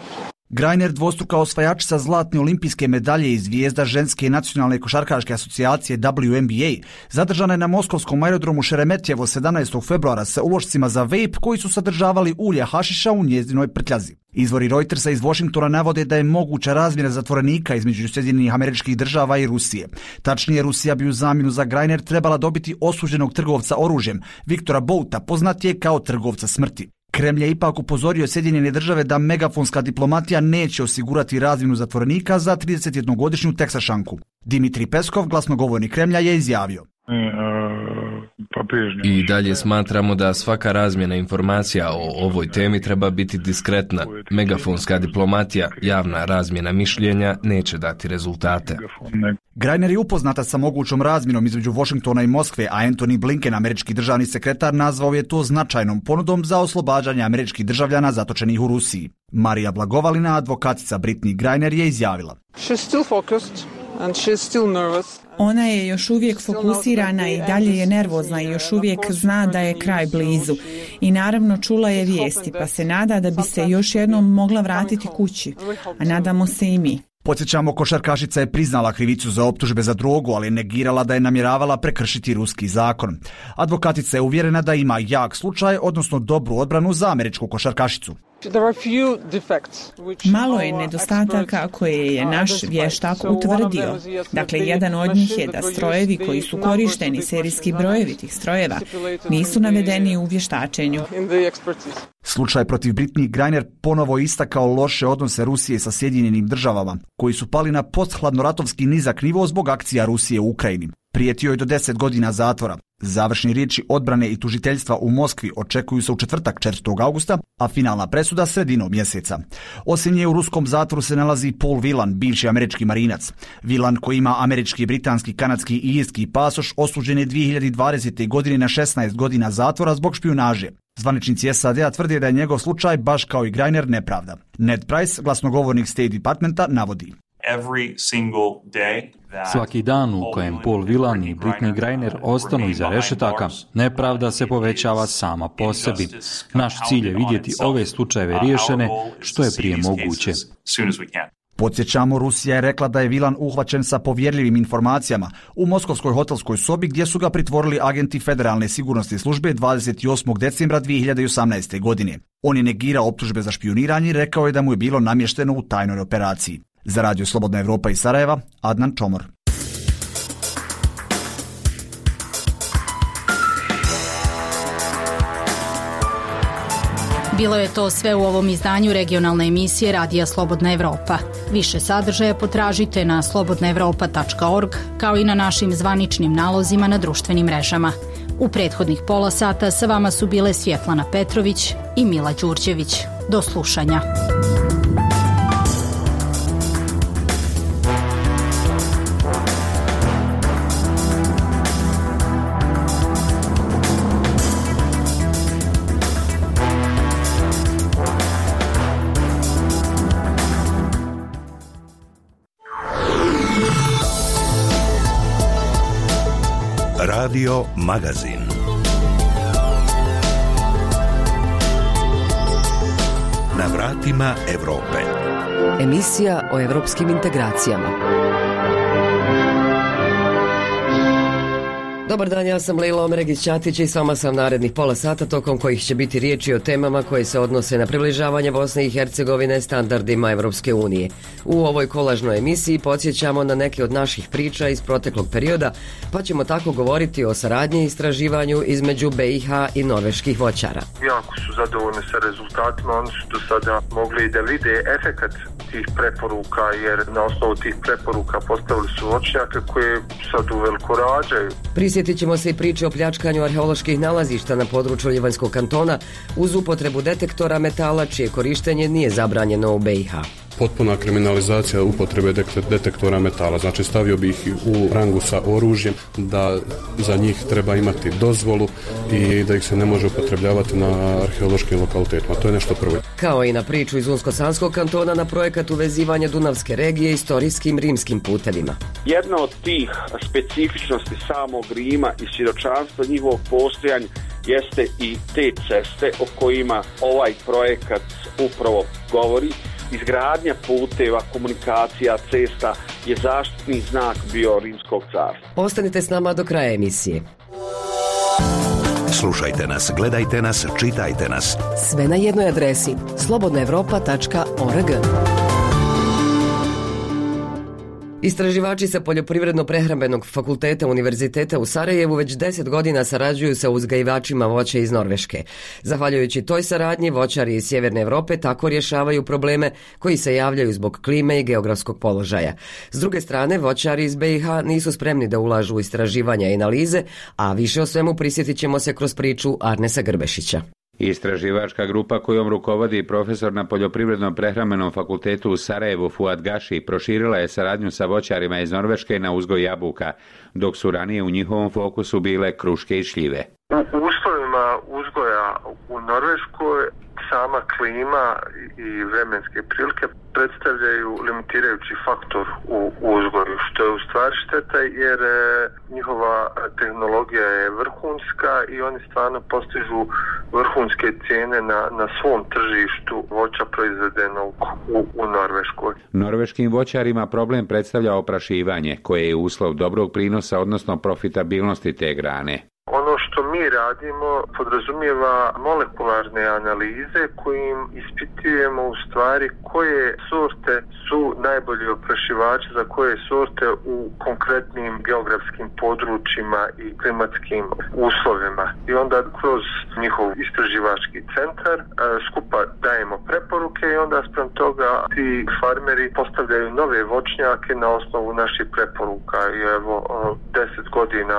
Griner, dvostruka osvajačica zlatne olimpijske medalje i zvijezda ženske nacionalne košarkaške asocijacije WNBA, zadržana je na moskovskom aerodromu Šeremetjevo 17. februara sa ulošcima za vape koji su sadržavali ulje hašiša u njezinoj prtljazi. Izvori Reutersa iz Washingtona navode da je moguća razmjena zatvorenika između Sjedinjenih Američkih Država i Rusije. Tačnije, Rusija bi u zamjenu za Griner trebala dobiti osuđenog trgovca oružjem, Viktora Bouta, poznatije kao trgovca smrti. Kremlj je ipak upozorio Sjedinjene Države da megafonska diplomatija neće osigurati razmjenu zatvorenika za 31-godišnju Teksašanku. Dimitrij Peskov, glasnogovornik Kremlja, je izjavio: I dalje smatramo da svaka razmjena informacija o ovoj temi treba biti diskretna. Megafonska diplomatija, javna razmjena mišljenja neće dati rezultate. Griner je upoznata sa mogućom razmjenom između Washingtona i Moskve, a Antony Blinken, američki državni sekretar, nazvao je to značajnom ponudom za oslobađanje američkih državljana zatočenih u Rusiji. Marija Blagovalina, advokatica Brittney Griner, je izjavila: Ona je još uvijek fokusirana i dalje je nervozna i još uvijek zna da je kraj blizu. I naravno čula je vijesti, pa se nada da bi se još jednom mogla vratiti kući. A nadamo se i mi. Podsjećamo, košarkašica je priznala krivicu za optužbe za drogu, ali je negirala da je namjeravala prekršiti ruski zakon. Advokatica je uvjerena da ima jak slučaj, odnosno dobru odbranu za američku košarkašicu. Malo je nedostataka koje je naš vještak utvrdio. Dakle, jedan od njih je da strojevi koji su korišteni, serijski brojevi tih strojeva, nisu navedeni u vještačenju. Slučaj protiv Brittney Griner ponovo istakao loše odnose Rusije sa Sjedinjenim Državama, koji su pali na posthladnoratovski nizak nivo zbog akcija Rusije u Ukrajini. Prijetio je do 10 godina zatvora. Završni riječi odbrane i tužiteljstva u Moskvi očekuju se u četvrtak 4. augusta, a finalna presuda sredinom mjeseca. Osim nje u ruskom zatvoru se nalazi Paul Whelan, bivši američki marinac. Whelan, koji ima američki, britanski, kanadski i irski pasoš, osuđen je 2020. godine na 16 godina zatvora zbog špijunaže. Zvaničnici SAD-a tvrde da je njegov slučaj, baš kao i Griner, nepravda. Ned Price, glasnogovornik State Departmenta, navodi: Svaki dan u kojem Paul Whelan i Brittney Griner ostanu iza rešetaka, nepravda se povećava sama po sebi. Naš cilj je vidjeti ove slučajeve riješene što je prije moguće. Podsjećamo, Rusija je rekla da je Whelan uhvaćen sa povjerljivim informacijama u moskovskoj hotelskoj sobi gdje su ga pritvorili agenti Federalne sigurnosne službe 28. decembra 2018. godine. On je negirao optužbe za špijuniranje i rekao je da mu je bilo namješteno u tajnoj operaciji. Za Radio Slobodna Evropa iz Sarajeva, Adnan Čomor. Bilo je to sve u ovom izdanju regionalne emisije Radija Slobodna Evropa. Više sadržaja potražite na slobodnaevropa.org kao i na našim zvaničnim nalozima na društvenim mrežama. U prethodnih pola sata sa vama su bile Svjetlana Petrović i Mila Đurđević. Do slušanja. Radio Magazin. Na vratima Evrope. Emisija o evropskim integracijama. Dobar dan, ja sam Lejla Omeregić-Ćatić i s vama sam narednih pola sata tokom kojih će biti riječi o temama koje se odnose na približavanje Bosne i Hercegovine standardima Evropske unije. U ovoj kolažnoj emisiji podsjećamo na neke od naših priča iz proteklog perioda, pa ćemo tako govoriti o saradnji i istraživanju između BiH i norveških voćara. Jako su zadovoljni sa rezultatima, oni su do sada mogli da vide efekat tih preporuka, jer na osnovu tih preporuka postavili su voćnjake koje sad uveliko rađaju. Prisjetit ćemo se i priče o pljačkanju arheoloških nalazišta na području Livanjskog kantona uz upotrebu detektora metala čije korištenje nije zabranjeno u BiH. Potpuna kriminalizacija upotrebe detektora metala, znači stavio bi ih u rangu sa oružjem, da za njih treba imati dozvolu i da ih se ne može upotrebljavati na arheološkim lokalitetima. To je nešto prvo. Kao i na priču iz Unsko-Sanskog kantona na projekat uvezivanja Dunavske regije istorijskim rimskim putevima. Jedna od tih specifičnosti samog Rima i svjedočanstva njihovog postojanja jeste i te ceste o kojima ovaj projekat upravo govori. Izgradnja puteva, komunikacija, cesta je zaštitni znak bio Rimskog carstva. Ostanite s nama do kraja emisije. Slušajte nas, gledajte nas, čitajte nas. Sve na jednoj adresi slobodnaevropa.org. Istraživači sa Poljoprivredno-prehrambenog fakulteta Univerziteta u Sarajevu već 10 godina sarađuju sa uzgajivačima voća iz Norveške. Zahvaljujući toj saradnji, voćari iz Sjeverne Evrope tako rješavaju probleme koji se javljaju zbog klime i geografskog položaja. S druge strane, voćari iz BiH nisu spremni da ulažu u istraživanja i analize, a više o svemu prisjetit ćemo se kroz priču Arnesa Grbešića. Istraživačka grupa kojom rukovodi profesor na Poljoprivredno-prehrambenom fakultetu u Sarajevu Fuad Gaši proširila je saradnju sa voćarima iz Norveške na uzgoj jabuka, dok su ranije u njihovom fokusu bile kruške i šljive. U uslovima uzgoja u Norveškoj sama klima i vremenske prilike predstavljaju limitirajući faktor u uzgoju, što je u stvari šteta jer njihova tehnologija je vrhunska i oni stvarno postižu vrhunske cijene na svom tržištu voća proizvedenog u Norveškoj. Norveškim voćarima problem predstavlja oprašivanje, koje je uslov dobrog prinosa, odnosno profitabilnosti te grane. Ono što mi radimo podrazumijeva molekularne analize kojim ispitujemo u stvari koje sorte su najbolji oprašivači za koje sorte u konkretnim geografskim područjima i klimatskim uslovima. I onda kroz njihov istraživački centar skupa dajemo preporuke i onda spram toga ti farmeri postavljaju nove voćnjake na osnovu naših preporuka. I evo 10 godina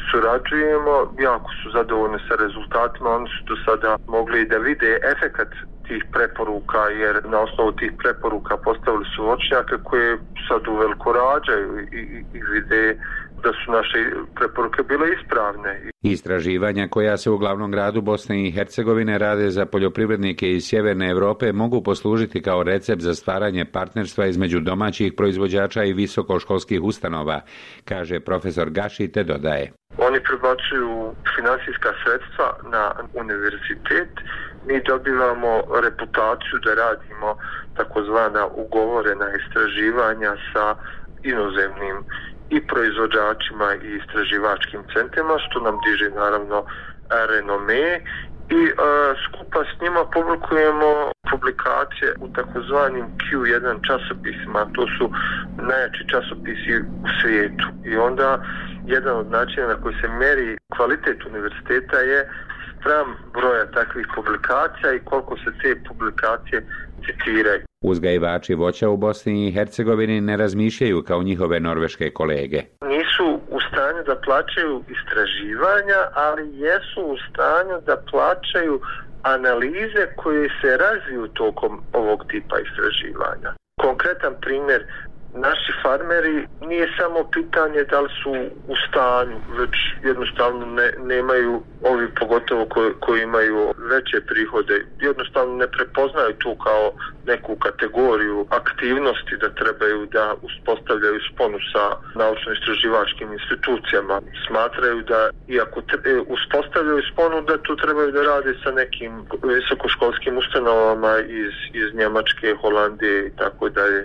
surađujemo, jako su zadovoljni sa rezultatima, oni su do sada mogli da vide efekat tih preporuka, jer na osnovu tih preporuka postavili su voćnjake koje sad uveliko rađaju i vide da su naše preporuke bile ispravne. Istraživanja koja se u glavnom gradu Bosne i Hercegovine rade za poljoprivrednike iz Sjeverne Europe mogu poslužiti kao recept za stvaranje partnerstva između domaćih proizvođača i visokoškolskih ustanova, kaže profesor Gaši, te dodaje. Oni prebacuju finansijska sredstva na univerzitet, mi dobivamo reputaciju da radimo takozvana ugovorena istraživanja sa inozemnim i proizvođačima i istraživačkim centrima, što nam diže naravno renome i skupa s njima publikujemo publikacije u takozvanim Q1 časopisima, to su najjači časopisi u svijetu. I onda jedan od načina na koji se meri kvalitet univerziteta je spram broja takvih publikacija i koliko se te publikacije citiraju. Uzgajivači voća u Bosni i Hercegovini ne razmišljaju kao njihove norveške kolege. Nisu u stanju da plaćaju istraživanja, ali jesu u stanju da plaćaju analize koje se razviju tokom ovog tipa istraživanja. Konkretan primjer, naši farmeri nije samo pitanje da li su u stanju, već jednostavno nemaju, ovi pogotovo koji imaju veće prihode, jednostavno ne prepoznaju to kao neku kategoriju aktivnosti da trebaju da uspostavljaju sponu sa naučno-istraživačkim institucijama. Smatraju da iako uspostavljaju sponu, da tu trebaju da rade sa nekim visokoškolskim ustanovama iz Njemačke, Holandije i tako dalje.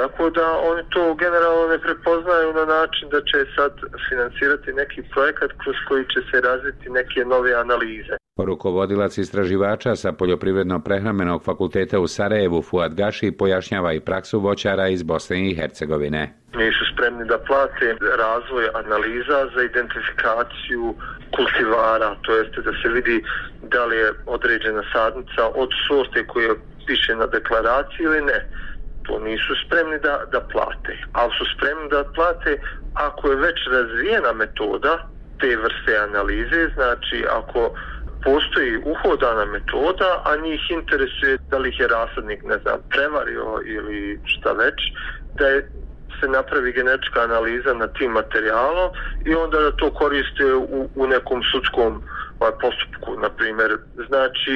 Tako da oni to generalno ne prepoznaju na način da će sad financirati neki projekat kroz koji će se razviti neke nove analize. Rukovodilac istraživača sa Poljoprivredno-prehrambenog fakulteta u Sarajevu Fuad Gaši pojašnjava i praksu voćara iz Bosne i Hercegovine. Nisu spremni da plate razvoj analiza za identifikaciju kultivara, to jeste da se vidi da li je određena sadnica od sorte koje piše na deklaraciji ili ne. To nisu spremni da plate, ali su spremni da plate ako je već razvijena metoda te vrste analize, znači ako postoji uhodana metoda, a njih interesuje da li ih je rasadnik, prevario ili šta već, da se napravi genetička analiza na tim materijalom i onda da to koriste u nekom sudskom postupku, na primjer. Znači,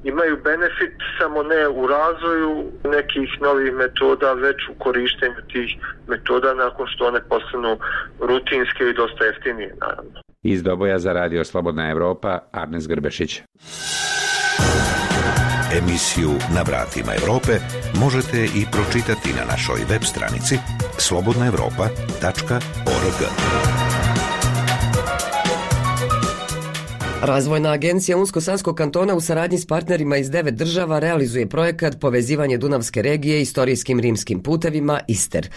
imaju benefit samo ne u razvoju nekih novih metoda, već u korištenju tih metoda nakon što one postanu rutinske i dosta jeftinije, naravno. Iz Doboja za Radio Slobodna Evropa, Arnes Grbešić. Emisiju Na vratima Evrope možete i pročitati na našoj web stranici slobodnaevropa.org. Razvojna agencija Unsko-Sanskog kantona u saradnji s partnerima iz 9 država realizuje projekat Povezivanje Dunavske regije istorijskim rimskim putevima ISTER.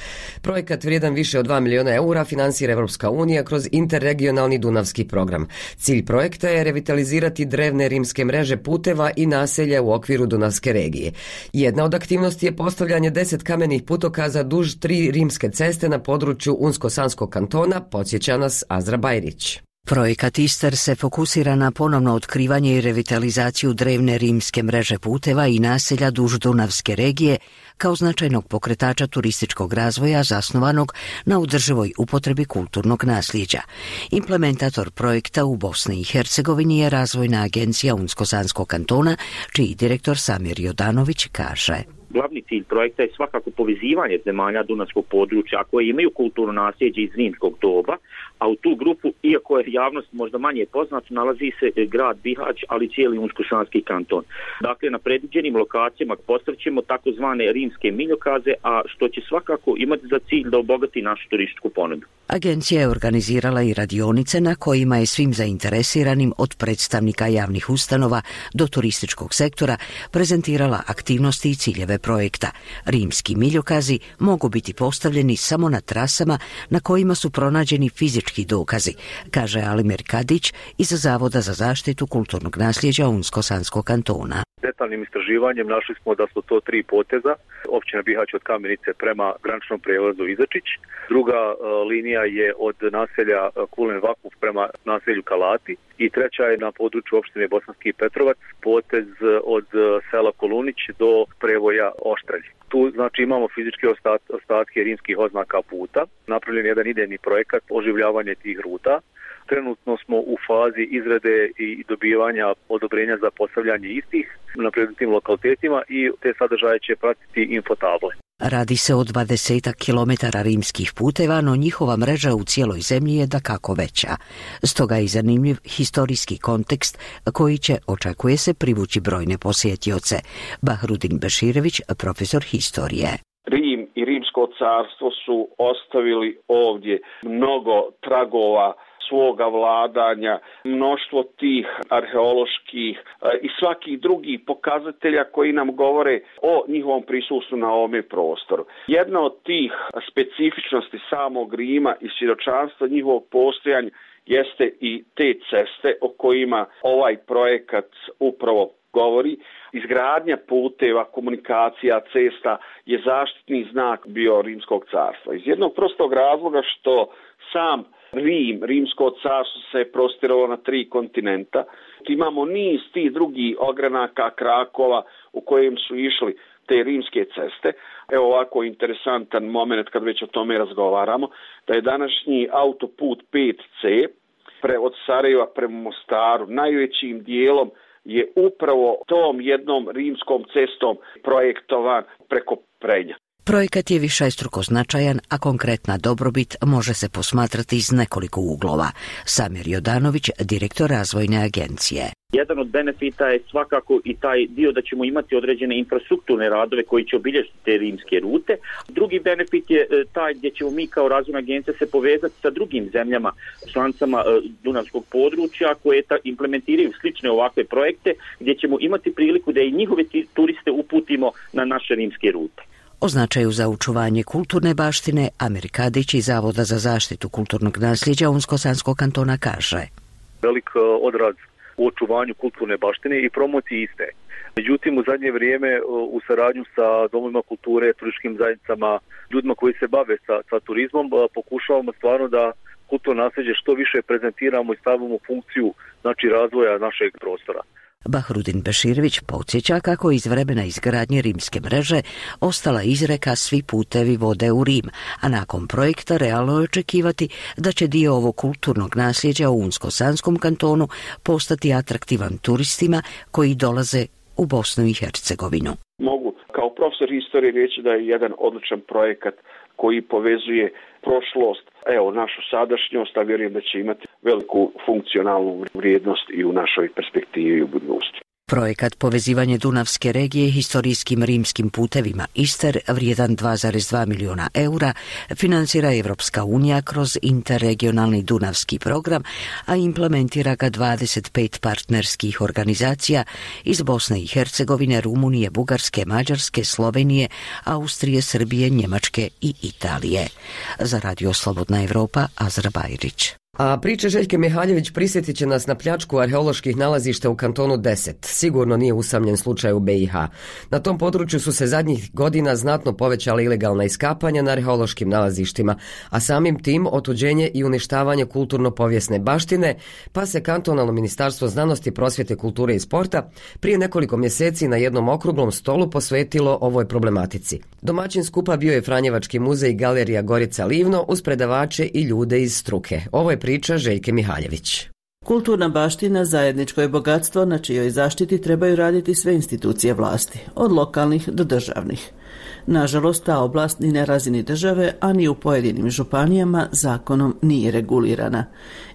Projekat vrijedan više od 2 miliona eura finansira Evropska unija kroz interregionalni Dunavski program. Cilj projekta je revitalizirati drevne rimske mreže puteva i naselja u okviru Dunavske regije. Jedna od aktivnosti je postavljanje 10 kamenih putokaza duž 3 rimske ceste na području Unsko-Sanskog kantona, podsjeća nas Azra Bajrić. Projekat ISTER se fokusira na ponovno otkrivanje i revitalizaciju drevne rimske mreže puteva i naselja duž Dunavske regije kao značajnog pokretača turističkog razvoja zasnovanog na održivoj upotrebi kulturnog nasljeđa. Implementator projekta u Bosni i Hercegovini je Razvojna agencija Unsko-Sanskog kantona, čiji direktor Samir Jodanović kaže: Glavni cilj projekta je svakako povezivanje zemalja Dunavskog područja koje imaju kulturno nasljeđe iz rimskog doba, a u tu grupu, iako je javnost možda manje poznat, nalazi se grad Bihać, ali cijeli Unsko-Sanski kanton. Dakle, na predviđenim lokacijama postavćemo takozvane rimske miljokaze, a što će svakako imati za cilj da obogati našu turističku ponudu. Agencija je organizirala i radionice na kojima je svim zainteresiranim od predstavnika javnih ustanova do turističkog sektora prezentirala aktivnosti i ciljeve projekta. Rimski miljokazi mogu biti postavljeni samo na trasama na kojima su pronađeni fizički dokazi, kaže Alimir Kadić iz Zavoda za zaštitu kulturnog nasljeđa Unsko-Sanskog kantona. Detaljnim istraživanjem našli smo da su to 3 poteza općina Bihać od Kamenice prema graničnom prijelazu Izačić. Druga linija je od naselja Kulen Vakuf prema naselju Kalati i treća je na području opštine Bosanski Petrovac, potez od sela Kolunić do prevoja Oštrelj. Tu znači imamo fizičke ostatke rimskih oznaka puta, napravljen jedan idejni projekat oživljavanje tih ruta. Trenutno smo u fazi izrade i dobivanja odobrenja za postavljanje istih na predmetnim lokalitetima i te sadržaje će pratiti infotable. Radi se o 20 kilometara rimskih puteva, no njihova mreža u cijeloj zemlji je dakako veća. Stoga je zanimljiv historijski kontekst koji će, očekuje se, privući brojne posjetioce. Bahrudin Beširević, profesor historije. Rim i Rimsko carstvo su ostavili ovdje mnogo tragova svoga vladanja, mnoštvo tih arheoloških i svakih drugih pokazatelja koji nam govore o njihovom prisustvu na ovome prostoru. Jedna od tih specifičnosti samog Rima i svjedočanstva njihovog postojanja jeste i te ceste o kojima ovaj projekat upravo govori. Izgradnja puteva, komunikacija, cesta je zaštitni znak bio Rimskog carstva. Iz jednog prostog razloga što sam Rimsko carstvo se prostiralo na 3 kontinenta. Imamo niz tih drugih ogranaka, krakova u kojim su išli te rimske ceste. Evo ovako interesantan moment kad već o tome razgovaramo, da je današnji autoput 5C od Sarajeva prema Mostaru najvećim dijelom je upravo tom jednom rimskom cestom projektovan preko Prenja. Projekat je višestruko značajan, a konkretna dobrobit može se posmatrati iz nekoliko uglova. Samir Jodanović, direktor razvojne agencije. Jedan od benefita je svakako i taj dio da ćemo imati određene infrastrukturne radove koji će obilježiti te rimske rute. Drugi benefit je taj gdje ćemo mi kao razvojna agencija se povezati sa drugim zemljama, članicama Dunavskog područja koje implementiraju slične ovakve projekte gdje ćemo imati priliku da i njihove turiste uputimo na naše rimske rute. O značaju za očuvanje kulturne baštine Amir Kadić iz Zavoda za zaštitu kulturnog nasljeđa Unsko-Sanskog kantona kaže. Velik odraz u očuvanju kulturne baštine i promociji iste. Međutim, u zadnje vrijeme u saradnju sa domovima kulture, turističkim zajednicama, ljudima koji se bave sa turizmom, pokušavamo stvarno da kulturno nasljeđe što više prezentiramo i stavimo u funkciju razvoja našeg prostora. Bahrudin Beširević podsjeća kako iz vremena izgradnje rimske mreže ostala izreka svi putevi vode u Rim, a nakon projekta realno je očekivati da će dio ovog kulturnog nasljeđa u Unsko-Sanskom kantonu postati atraktivan turistima koji dolaze u Bosnu i Hercegovinu. Mogu kao profesor historije reći da je jedan odličan projekat koji povezuje prošlost, našu sadašnjost, a vjerujem da će imati veliku funkcionalnu vrijednost i u našoj perspektivi u budućnosti. Projekat povezivanje Dunavske regije historijskim rimskim putevima Ister, vrijedan 2,2 milijuna eura, financira Evropska unija kroz interregionalni Dunavski program, a implementira ga 25 partnerskih organizacija iz Bosne i Hercegovine, Rumunije, Bugarske, Mađarske, Slovenije, Austrije, Srbije, Njemačke i Italije. Za Radio Slobodna Evropa, Azra Bajrić. A priče Željke Mihaljević prisjetit će nas na pljačku arheoloških nalazišta u kantonu 10. Sigurno nije usamljen slučaj u BiH. Na tom području su se zadnjih godina znatno povećala ilegalna iskapanja na arheološkim nalazištima, a samim tim otuđenje i uništavanje kulturno-povijesne baštine, pa se kantonalno ministarstvo znanosti, prosvjete, kulture i sporta prije nekoliko mjeseci na jednom okruglom stolu posvetilo ovoj problematici. Domaćin skupa bio je Franjevački muzej i galerija Gorica Livno uz predavače i ljude iz struke. Ovo je priča Željke Mihaljević. Kulturna baština zajedničko je bogatstvo na čijoj zaštiti trebaju raditi sve institucije vlasti, od lokalnih do državnih. Nažalost, ta oblast ni na razini države, a ni u pojedinim županijama zakonom nije regulirana.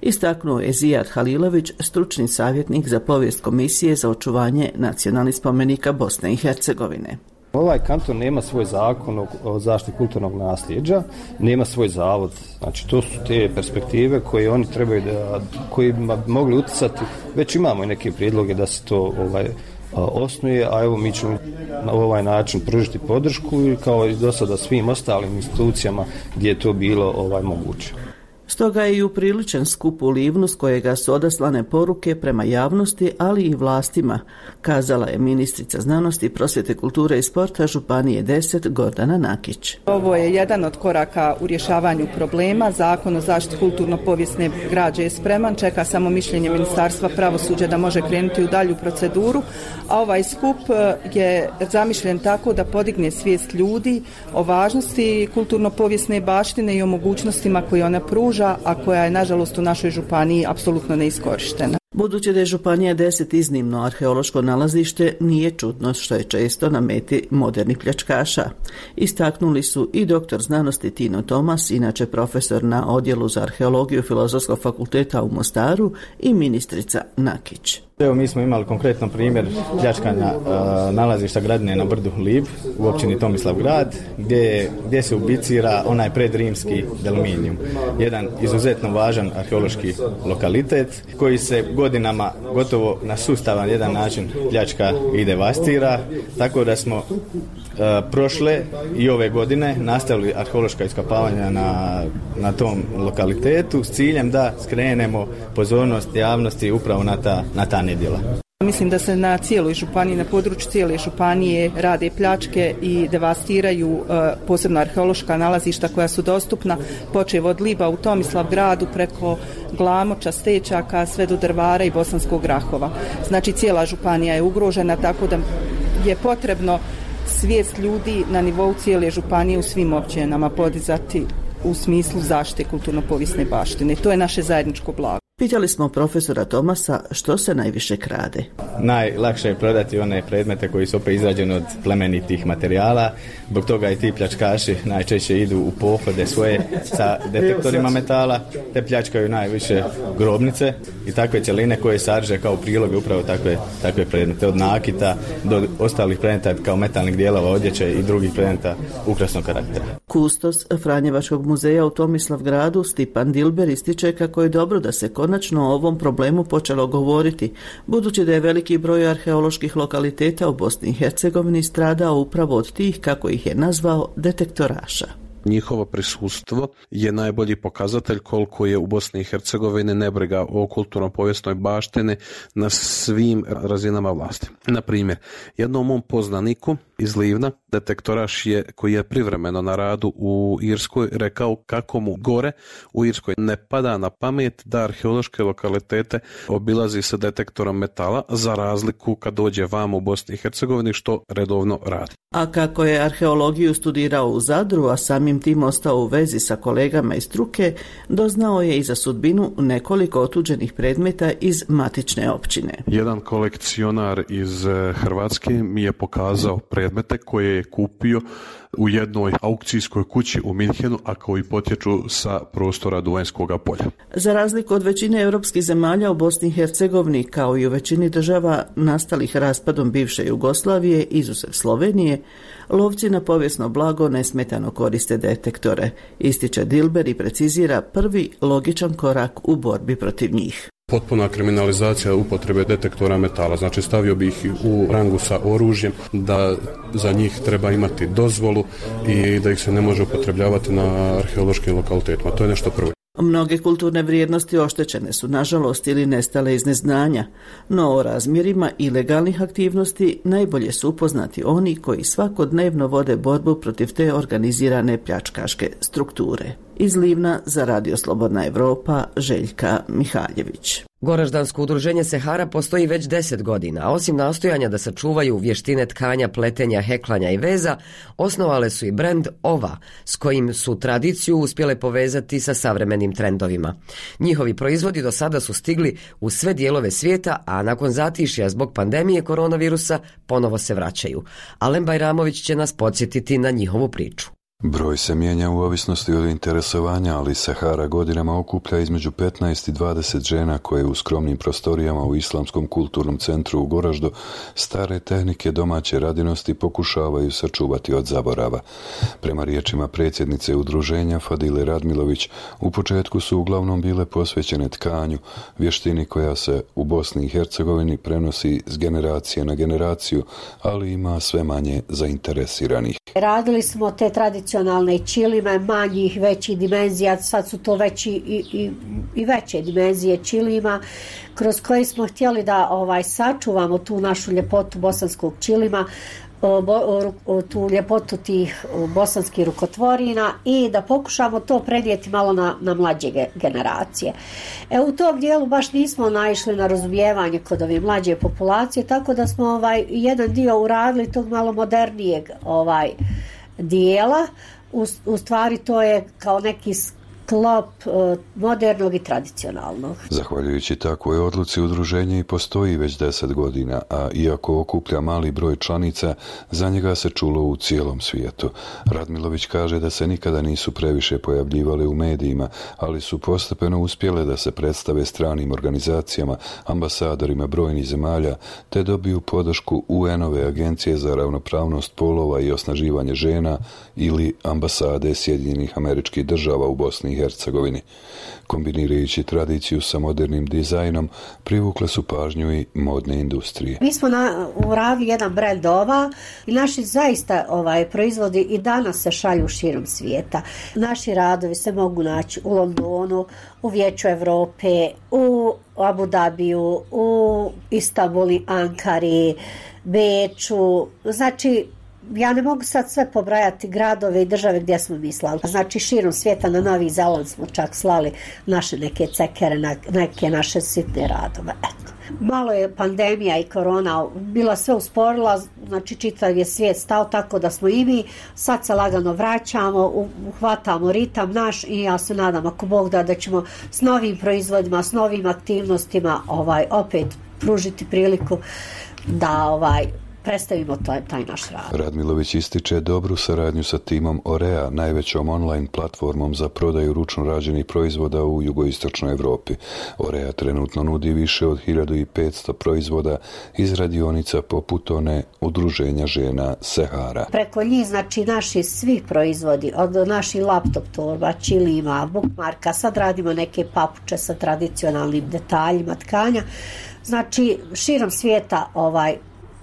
Istaknuo je Zijad Halilović, stručni savjetnik za povijest Komisije za očuvanje nacionalnih spomenika Bosne i Hercegovine. Ovaj kanton nema svoj zakon o zaštiti kulturnog nasljeđa, nema svoj zavod. Znači, to su te perspektive koje oni trebaju koji bi mogli utjecati. Već imamo i neke prijedloge da se to osnuje, a evo mi ćemo na ovaj način pružiti podršku i kao i do sada svim ostalim institucijama gdje je to bilo moguće. Stoga je i upriličen skup u Livnu s kojega su odaslane poruke prema javnosti, ali i vlastima, kazala je ministrica znanosti, prosvjete, kulture i sporta Županije 10 Gordana Nakić. Ovo je jedan od koraka u rješavanju problema. Zakon o zaštiti kulturno-povijesne građe je spreman, čeka samo mišljenje Ministarstva pravosuđa da može krenuti u dalju proceduru, a ovaj skup je zamišljen tako da podigne svijest ljudi o važnosti kulturno-povijesne baštine i o mogućnostima koje ona pruža, a koja je nažalost u našoj županiji apsolutno neiskorištena. Budući da je Županija 10 iznimno arheološko nalazište, nije čudno što je često na meti modernih pljačkaša. Istaknuli su i doktor znanosti Tino Tomas, inače profesor na Odjelu za arheologiju Filozofskog fakulteta u Mostaru, i ministrica Nakić. Evo, mi smo imali konkretno primjer pljačkanja nalazišta Gradine na brdu Lib u općini Tomislavgrad, gdje se ubicira onaj predrimski Delminijum. Jedan izuzetno važan arheološki lokalitet koji se godinama gotovo na sustavan jedan način pljačka i devastira, tako da smo prošle i ove godine nastavili arheološka iskopavanja na tom lokalitetu s ciljem da skrenemo pozornost javnosti upravo na ta nedjela. Mislim da se na cijeloj županiji, na području cijele županije rade pljačke i devastiraju posebno arheološka nalazišta koja su dostupna, počev od Liba u Tomislavgradu preko Glamoča, Stečaka, sve do Drvara i Bosanskog Grahova. Znači cijela županija je ugrožena, tako da je potrebno svijest ljudi na nivou cijele županije u svim općinama podizati u smislu zaštite kulturno-povijesne baštine. To je naše zajedničko blago. Pitali smo profesora Tomasa što se najviše krade. Najlakše je prodati one predmete koji su opet izrađeni od plemenitih materijala, zbog toga i ti pljačkaši najčešće idu u pohode svoje sa detektorima metala, te pljačkaju najviše grobnice i takve cjeline koje sadrže kao priloge upravo takve predmete, od nakita do ostalih predmeta kao metalnih dijelova odjeće i drugih predmeta ukrasnog karaktera. Kustos Franjevačkog muzeja u Tomislavgradu Stipan Dilber ističe kako je dobro da se konačno o ovom problemu počelo govoriti, budući da je veliki broj arheoloških lokaliteta u Bosni i Hercegovini stradao upravo od tih, kako ih je nazvao, detektoraša. Njihovo prisustvo je najbolji pokazatelj koliko je u Bosni i Hercegovini nebriga o kulturno-povijesnoj baštini na svim razinama vlasti. Na primjer, jednom mom poznaniku iz Livna, detektoraš koji je privremeno na radu u Irskoj, rekao kako mu gore u Irskoj ne pada na pamet da arheološke lokalitete obilazi sa detektorom metala, za razliku kad dođe vam u Bosni i Hercegovini, što redovno radi. A kako je arheologiju studirao u Zadru, a samim tim ostao u vezi sa kolegama iz struke, doznao je i za sudbinu nekoliko otuđenih predmeta iz matične općine. Jedan kolekcionar iz Hrvatske mi je pokazao predmete koje je kupio u jednoj aukcijskoj kući u Minhenu, a koji potječu sa prostora Duvanjskog polja. Za razliku od većine europskih zemalja, u Bosni i Hercegovini, kao i u većini država nastalih raspadom bivše Jugoslavije, izuzev Slovenije, lovci na povijesno blago nesmetano koriste detektore, ističe Dilber i precizira prvi logičan korak u borbi protiv njih. Potpuna kriminalizacija upotrebe detektora metala, znači stavio bi ih u rangu sa oružjem, da za njih treba imati dozvolu i da ih se ne može upotrebljavati na arheološkim lokalitetima. To je nešto prvo. Mnoge kulturne vrijednosti oštećene su, nažalost, ili nestale iz neznanja, no o razmjerima ilegalnih aktivnosti najbolje su upoznati oni koji svakodnevno vode borbu protiv te organizirane pljačkaške strukture. Iz Livna za Radio Slobodna Evropa, Željka Mihaljević. Goraždansko udruženje Sehara postoji već 10 godina, a osim nastojanja da sačuvaju vještine tkanja, pletenja, heklanja i veza, osnovale su i brend Ova, s kojim su tradiciju uspjele povezati sa savremenim trendovima. Njihovi proizvodi do sada su stigli u sve dijelove svijeta, a nakon zatišja zbog pandemije koronavirusa ponovo se vraćaju. Alen Bajramović će nas podsjetiti na njihovu priču. Broj se mijenja u ovisnosti od interesovanja, ali Sehara godinama okuplja između 15 i 20 žena koje u skromnim prostorijama u Islamskom kulturnom centru u Goraždu stare tehnike domaće radinosti pokušavaju sačuvati od zaborava. Prema riječima predsjednice udruženja Fadile Radmilović, u početku su uglavnom bile posvećene tkanju, vještini koja se u Bosni i Hercegovini prenosi s generacije na generaciju, ali ima sve manje zainteresiranih. Radili smo te tradicionalne tradicionalne ćilime manjih, većih dimenzija, sad su to veći i veće dimenzije ćilima, kroz koje smo htjeli da sačuvamo tu našu ljepotu bosanskog ćilima, tu ljepotu tih bosanskih rukotvorina i da pokušamo to prenijeti malo na mlađe generacije. U tom dijelu baš nismo naišli na razumijevanje kod ove mlađe populacije, tako da smo jedan dio uradili tog malo modernijeg dijela. U stvari to je kao neki sklop modernog i tradicionalnog. Zahvaljujući takvoj odluci udruženje i postoji već 10 godina, a iako okuplja mali broj članica, za njega se čulo u cijelom svijetu. Radmilović kaže da se nikada nisu previše pojavljivale u medijima, ali su postepeno uspjele da se predstave stranim organizacijama, ambasadorima brojnih zemalja, te dobiju podršku UN-ove agencije za ravnopravnost polova i osnaživanje žena ili ambasade Sjedinjenih Američkih Država u Bosni i Hercegovini. Kombinirajući tradiciju sa modernim dizajnom, privukle su pažnju i modne industrije. Mi smo uradili jedan brand ova i naši zaista proizvodi i danas se šalju širom svijeta. Naši radovi se mogu naći u Londonu, u Vijeću Europe, u Abu Dhabiju, u Istanbulu, Ankari, Beču, znači ja ne mogu sad sve pobrajati gradove i države gdje smo mi slali. Znači širom svijeta, na Novi Zeland smo čak slali naše neke cekere, neke naše sitne radove. Eto. Malo je pandemija i korona bila sve usporila, znači čitav je svijet stao, tako da smo i mi sad se lagano vraćamo, uhvatamo ritam naš i ja se nadam ako Bog da ćemo s novim proizvodima, s novim aktivnostima opet pružiti priliku da predstavimo taj naš rad. Radmilović ističe dobru saradnju sa timom Orea, najvećom online platformom za prodaju ručno rađenih proizvoda u jugoistočnoj Evropi. Orea trenutno nudi više od 1500 proizvoda iz radionica poput one udruženja žena Sehara. Preko njih, znači naši svi proizvodi, od naših laptop torba, čilima, bookmarka, sad radimo neke papuče sa tradicionalnim detaljima tkanja. Znači širom svijeta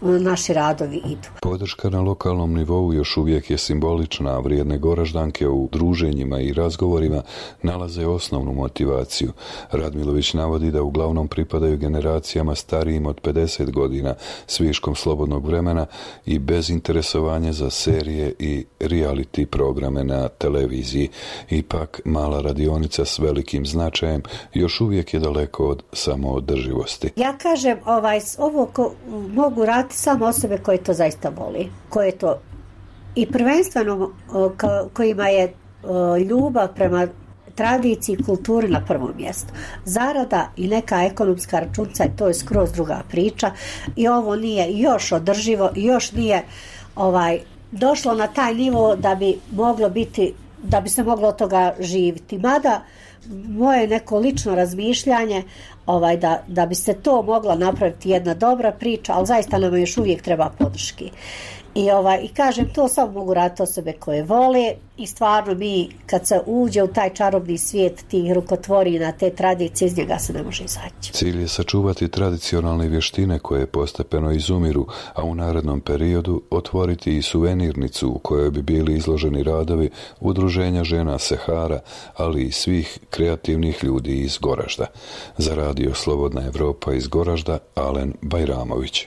naši radovi idu. Podrška na lokalnom nivou još uvijek je simbolična, a vrijedne Goraždanke u druženjima i razgovorima nalaze osnovnu motivaciju. Radmilović navodi da uglavnom pripadaju generacijama starijim od 50 godina s viškom slobodnog vremena i bez interesovanja za serije i reality programe na televiziji. Ipak, mala radionica s velikim značajem još uvijek je daleko od samoodrživosti. Ja kažem, ovo mogu raditi samo osobe koje to zaista voli, koje to i prvenstveno kojima je ljubav prema tradiciji i kulturi na prvom mjestu. Zarada i neka ekonomska računica, to je skroz druga priča i ovo nije još održivo i još nije došlo na taj nivo da bi moglo biti, da bi se moglo od toga živjeti. Mada moje neko lično razmišljanje da bi se to mogla napraviti jedna dobra priča, ali zaista nam još uvijek treba podrški. I kažem, to samo mogu raditi osobe koje vole i stvarno mi kad se uđe u taj čarobni svijet tih rukotvorina, te tradicije, iz njega se ne može izaći. Cilj je sačuvati tradicionalne vještine koje postepeno izumiru, a u narednom periodu otvoriti i suvenirnicu u kojoj bi bili izloženi radovi udruženja žena Sehara, ali i svih kreativnih ljudi iz Goražda. Za radio Slobodna Evropa iz Goražda, Alen Bajramović.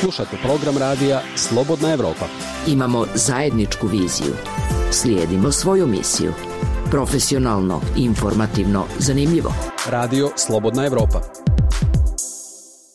Slušate program radija Slobodna Evropa. Imamo zajedničku viziju. Slijedimo svoju misiju. Profesionalno, informativno, zanimljivo. Radio Slobodna Evropa.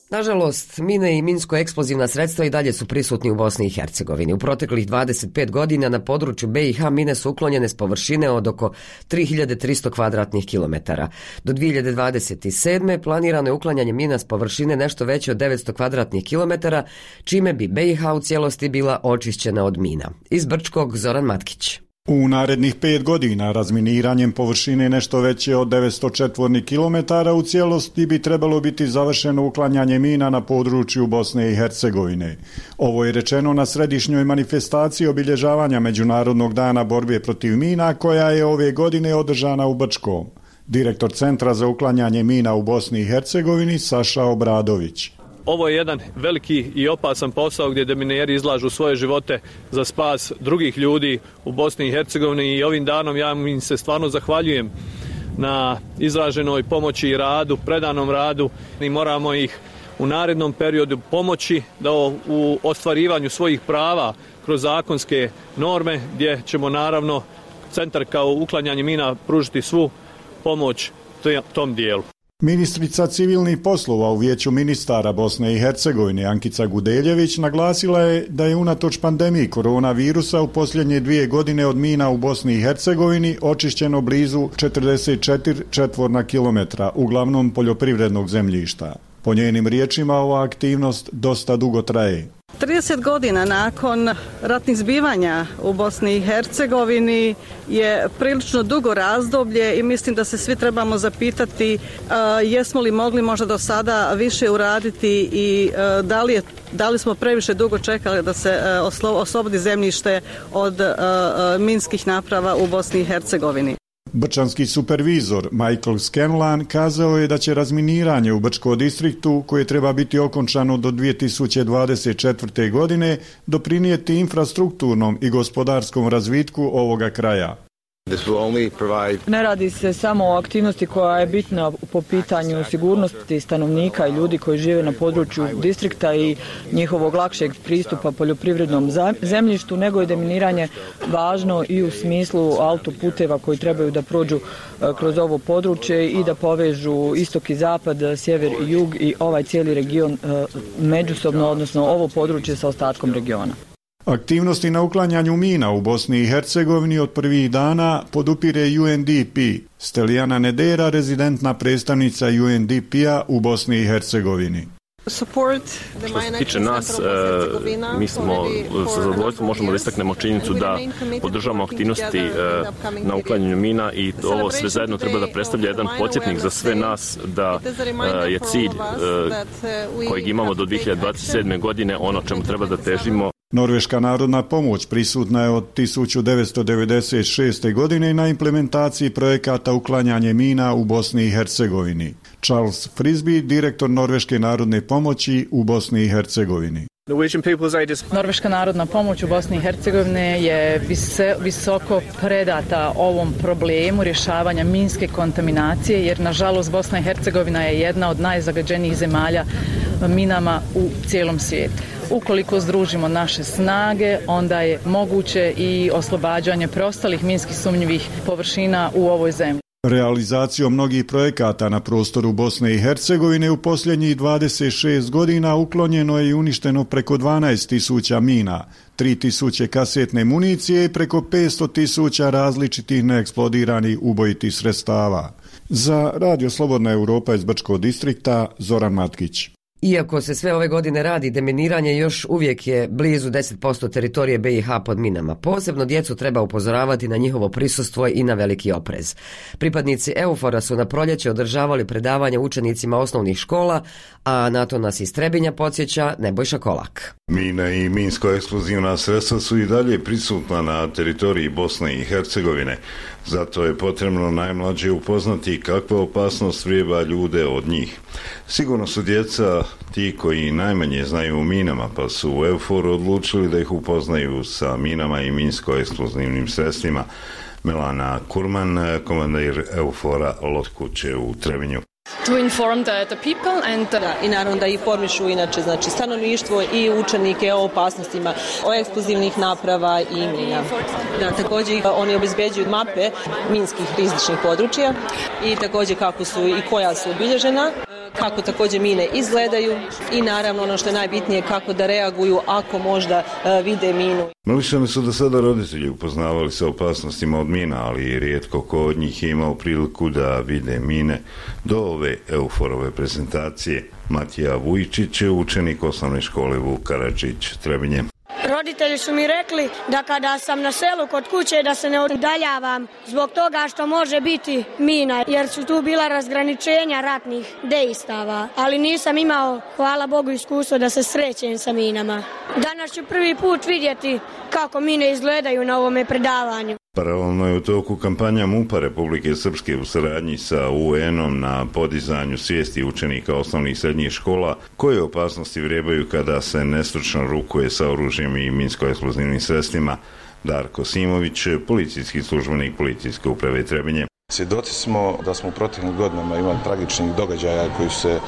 Nažalost, mine i minsko-eksplozivna sredstva i dalje su prisutni u Bosni i Hercegovini. U proteklih 25 godina na području BiH mine su uklonjene s površine od oko 3300 kvadratnih kilometara. Do 2027. planirano je uklanjanje mina s površine nešto veće od 900 kvadratnih kilometara, čime bi BiH u cijelosti bila očišćena od mina. Iz Brčkog, Zoran Matkić. U narednih 5 godina razminiranjem površine nešto veće od 900 četvornih kilometara u cijelosti bi trebalo biti završeno uklanjanje mina na području Bosne i Hercegovine. Ovo je rečeno na središnjoj manifestaciji obilježavanja Međunarodnog dana borbe protiv mina koja je ove godine održana u Brčkom. Direktor Centra za uklanjanje mina u Bosni i Hercegovini Saša Obradović. ovo je jedan veliki i opasan posao gdje demineri izlažu svoje živote za spas drugih ljudi u Bosni i Hercegovini i ovim danom ja im se stvarno zahvaljujem na izraženoj pomoći i radu, predanom radu i moramo ih u narednom periodu pomoći da u ostvarivanju svojih prava kroz zakonske norme gdje ćemo naravno centar kao uklanjanje mina pružiti svu pomoć tom dijelu. Ministrica civilnih poslova u Vijeću ministara Bosne i Hercegovine Ankica Gudeljević naglasila je da je unatoč pandemiji koronavirusa u posljednje 2 godine od mina u Bosni i Hercegovini očišćeno blizu 44 četvorna kilometra, uglavnom poljoprivrednog zemljišta. Po njenim riječima ova aktivnost dosta dugo traje. 30 godina nakon ratnih zbivanja u Bosni i Hercegovini je prilično dugo razdoblje i mislim da se svi trebamo zapitati jesmo li mogli možda do sada više uraditi i da li smo previše dugo čekali da se oslobodi zemljište od minskih naprava u Bosni i Hercegovini. Brčanski supervizor Michael Scanlan kazao je da će razminiranje u Brčkom distriktu, koje treba biti okončano do 2024. godine, doprinijeti infrastrukturnom i gospodarskom razvitku ovoga kraja. Ne radi se samo o aktivnosti koja je bitna po pitanju sigurnosti stanovnika i ljudi koji žive na području distrikta i njihovog lakšeg pristupa poljoprivrednom zemljištu, nego je deminiranje važno i u smislu autoputeva koji trebaju da prođu kroz ovo područje i da povežu istok i zapad, sjever i jug i ovaj cijeli region međusobno, odnosno ovo područje sa ostatkom regiona. Aktivnosti na uklanjanju mina u Bosni i Hercegovini od prvih dana podupire UNDP. Stelijana Nedera, rezidentna predstavnica UNDP-a u Bosni i Hercegovini. Što se tiče nas, mi smo sa zadovoljstvom možemo da istaknemo činjenicu da podržavamo aktivnosti na uklanjanju mina i ovo sve zajedno treba da predstavlja jedan podsjetnik za sve nas da je cilj kojeg imamo do 2027. godine ono čemu treba da težimo. Norveška narodna pomoć prisutna je od 1996. godine na implementaciji projekata uklanjanje mina u Bosni i Hercegovini. Charles Frisby, direktor Norveške narodne pomoći u Bosni i Hercegovini. Norveška narodna pomoć u Bosni i Hercegovini je visoko predata ovom problemu rješavanja minske kontaminacije, jer nažalost Bosna i Hercegovina je jedna od najzagađenijih zemalja minama u cijelom svijetu. Ukoliko združimo naše snage, onda je moguće i oslobađanje preostalih minskih sumnjivih površina u ovoj zemlji. Realizacijom mnogih projekata na prostoru Bosne i Hercegovine u posljednjih 26 godina uklonjeno je i uništeno preko 12.000 mina, 3.000 kasetne municije i preko 500.000 različitih neeksplodiranih ubojitih sredstava. Za Radio Slobodna Europa iz Brčkog distrikta, Zoran Matkić. Iako se sve ove godine radi, deminiranje još uvijek je blizu 10% teritorije BiH pod minama. Posebno djecu treba upozoravati na njihovo prisustvo i na veliki oprez. Pripadnici EUFOR-a su na proljeće održavali predavanje učenicima osnovnih škola, a na to nas iz Trebinja podsjeća Nebojša Kolak. Mine i minsko-eksplozivna sredstva su i dalje prisutna na teritoriji Bosne i Hercegovine. Zato je potrebno najmlađe upoznati kakva opasnost vrijeba ljude od njih. Sigurno su djeca ti koji najmanje znaju o minama, pa su u EUFOR odlučili da ih upoznaju sa minama i minsko-eksplozivnim sredstvima. Melana Kurman, komandir EUFOR-a Lotkuće u Trebinju. To inform the people and i naravno da informišu inače znači stanovništvo i učenike o opasnostima o eksplozivnih naprava i mina. Da, također oni obezbeđuju mape minskih rizičnih područja i također kako su i koja su obilježena, kako također mine izgledaju i naravno ono što je najbitnije kako da reaguju ako možda vide minu. Mališani su do sada roditelji upoznavali sa opasnostima od mina, ali rijetko ko od njih je imao priliku da vide mine. Do ove EUFOR-ove prezentacije Matija Vujčić je učenik osnovne škole Vuk Karadžić, Trebinje. Roditelji su mi rekli da kada sam na selu kod kuće da se ne udaljavam zbog toga što može biti mina, jer su tu bila razgraničenja ratnih dejstava, ali nisam imao, hvala Bogu, iskustvo da se srećem sa minama. Danas ću prvi put vidjeti kako mine izgledaju na ovome predavanju. Paralelno je u toku kampanja MUP-a Republike Srpske u saradnji sa UN-om na podizanju svijesti učenika osnovnih i srednjih škola koje opasnosti vrebaju kada se nestručno rukuje sa oružjem i minsko-eksplozivnim sredstvima. Darko Simović, policijski službenik Policijske uprave Trebinje. Svjedoci smo da smo u proteklim godinama imali tragičnih događaja koji su se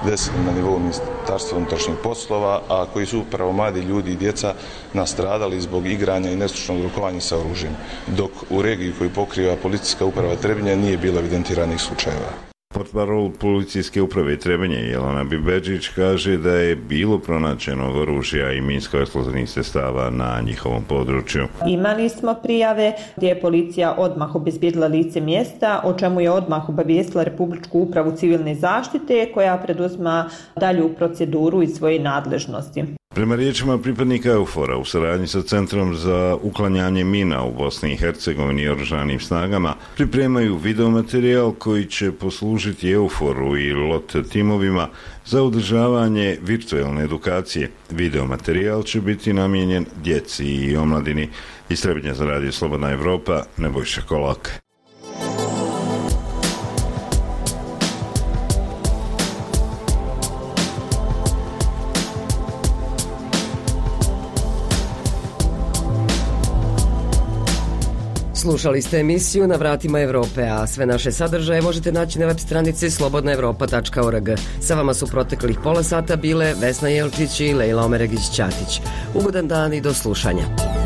desili na nivou Ministarstva unutrašnjih poslova, a koji su upravo mladi ljudi i djeca nastradali zbog igranja i nestručnog rukovanja sa oružjem, dok u regiji koju pokriva Policijska uprava Trebinje nije bilo evidentiranih slučajeva. Portparol Policijske uprave Trebinje Jelena Bibeđić kaže da je bilo pronađenog oružja i minsko-eksplozivnih sredstava na njihovom području. Imali smo prijave gdje je policija odmah obezbijedila lice mjesta, o čemu je odmah obavijestila Republičku upravu civilne zaštite koja preduzima dalju proceduru iz svoje nadležnosti. Prema riječima pripadnika EUFOR-a u saradnji sa Centrom za uklanjanje mina u Bosni i Hercegovini i oružanim snagama pripremaju videomaterijal koji će poslužiti EUFOR-u i LOT timovima za održavanje virtualne edukacije. Videomaterijal će biti namijenjen djeci i omladini. Iz Trebinja za Radio Slobodna Evropa, Nebojša Kolak. Slušali ste emisiju Na vratima Evrope, a sve naše sadržaje možete naći na web stranici slobodnaevropa.org. Sa vama su proteklih pola sata bile Vesna Jelčić i Lejla Omeregić-Ćatić. Ugodan dan i do slušanja.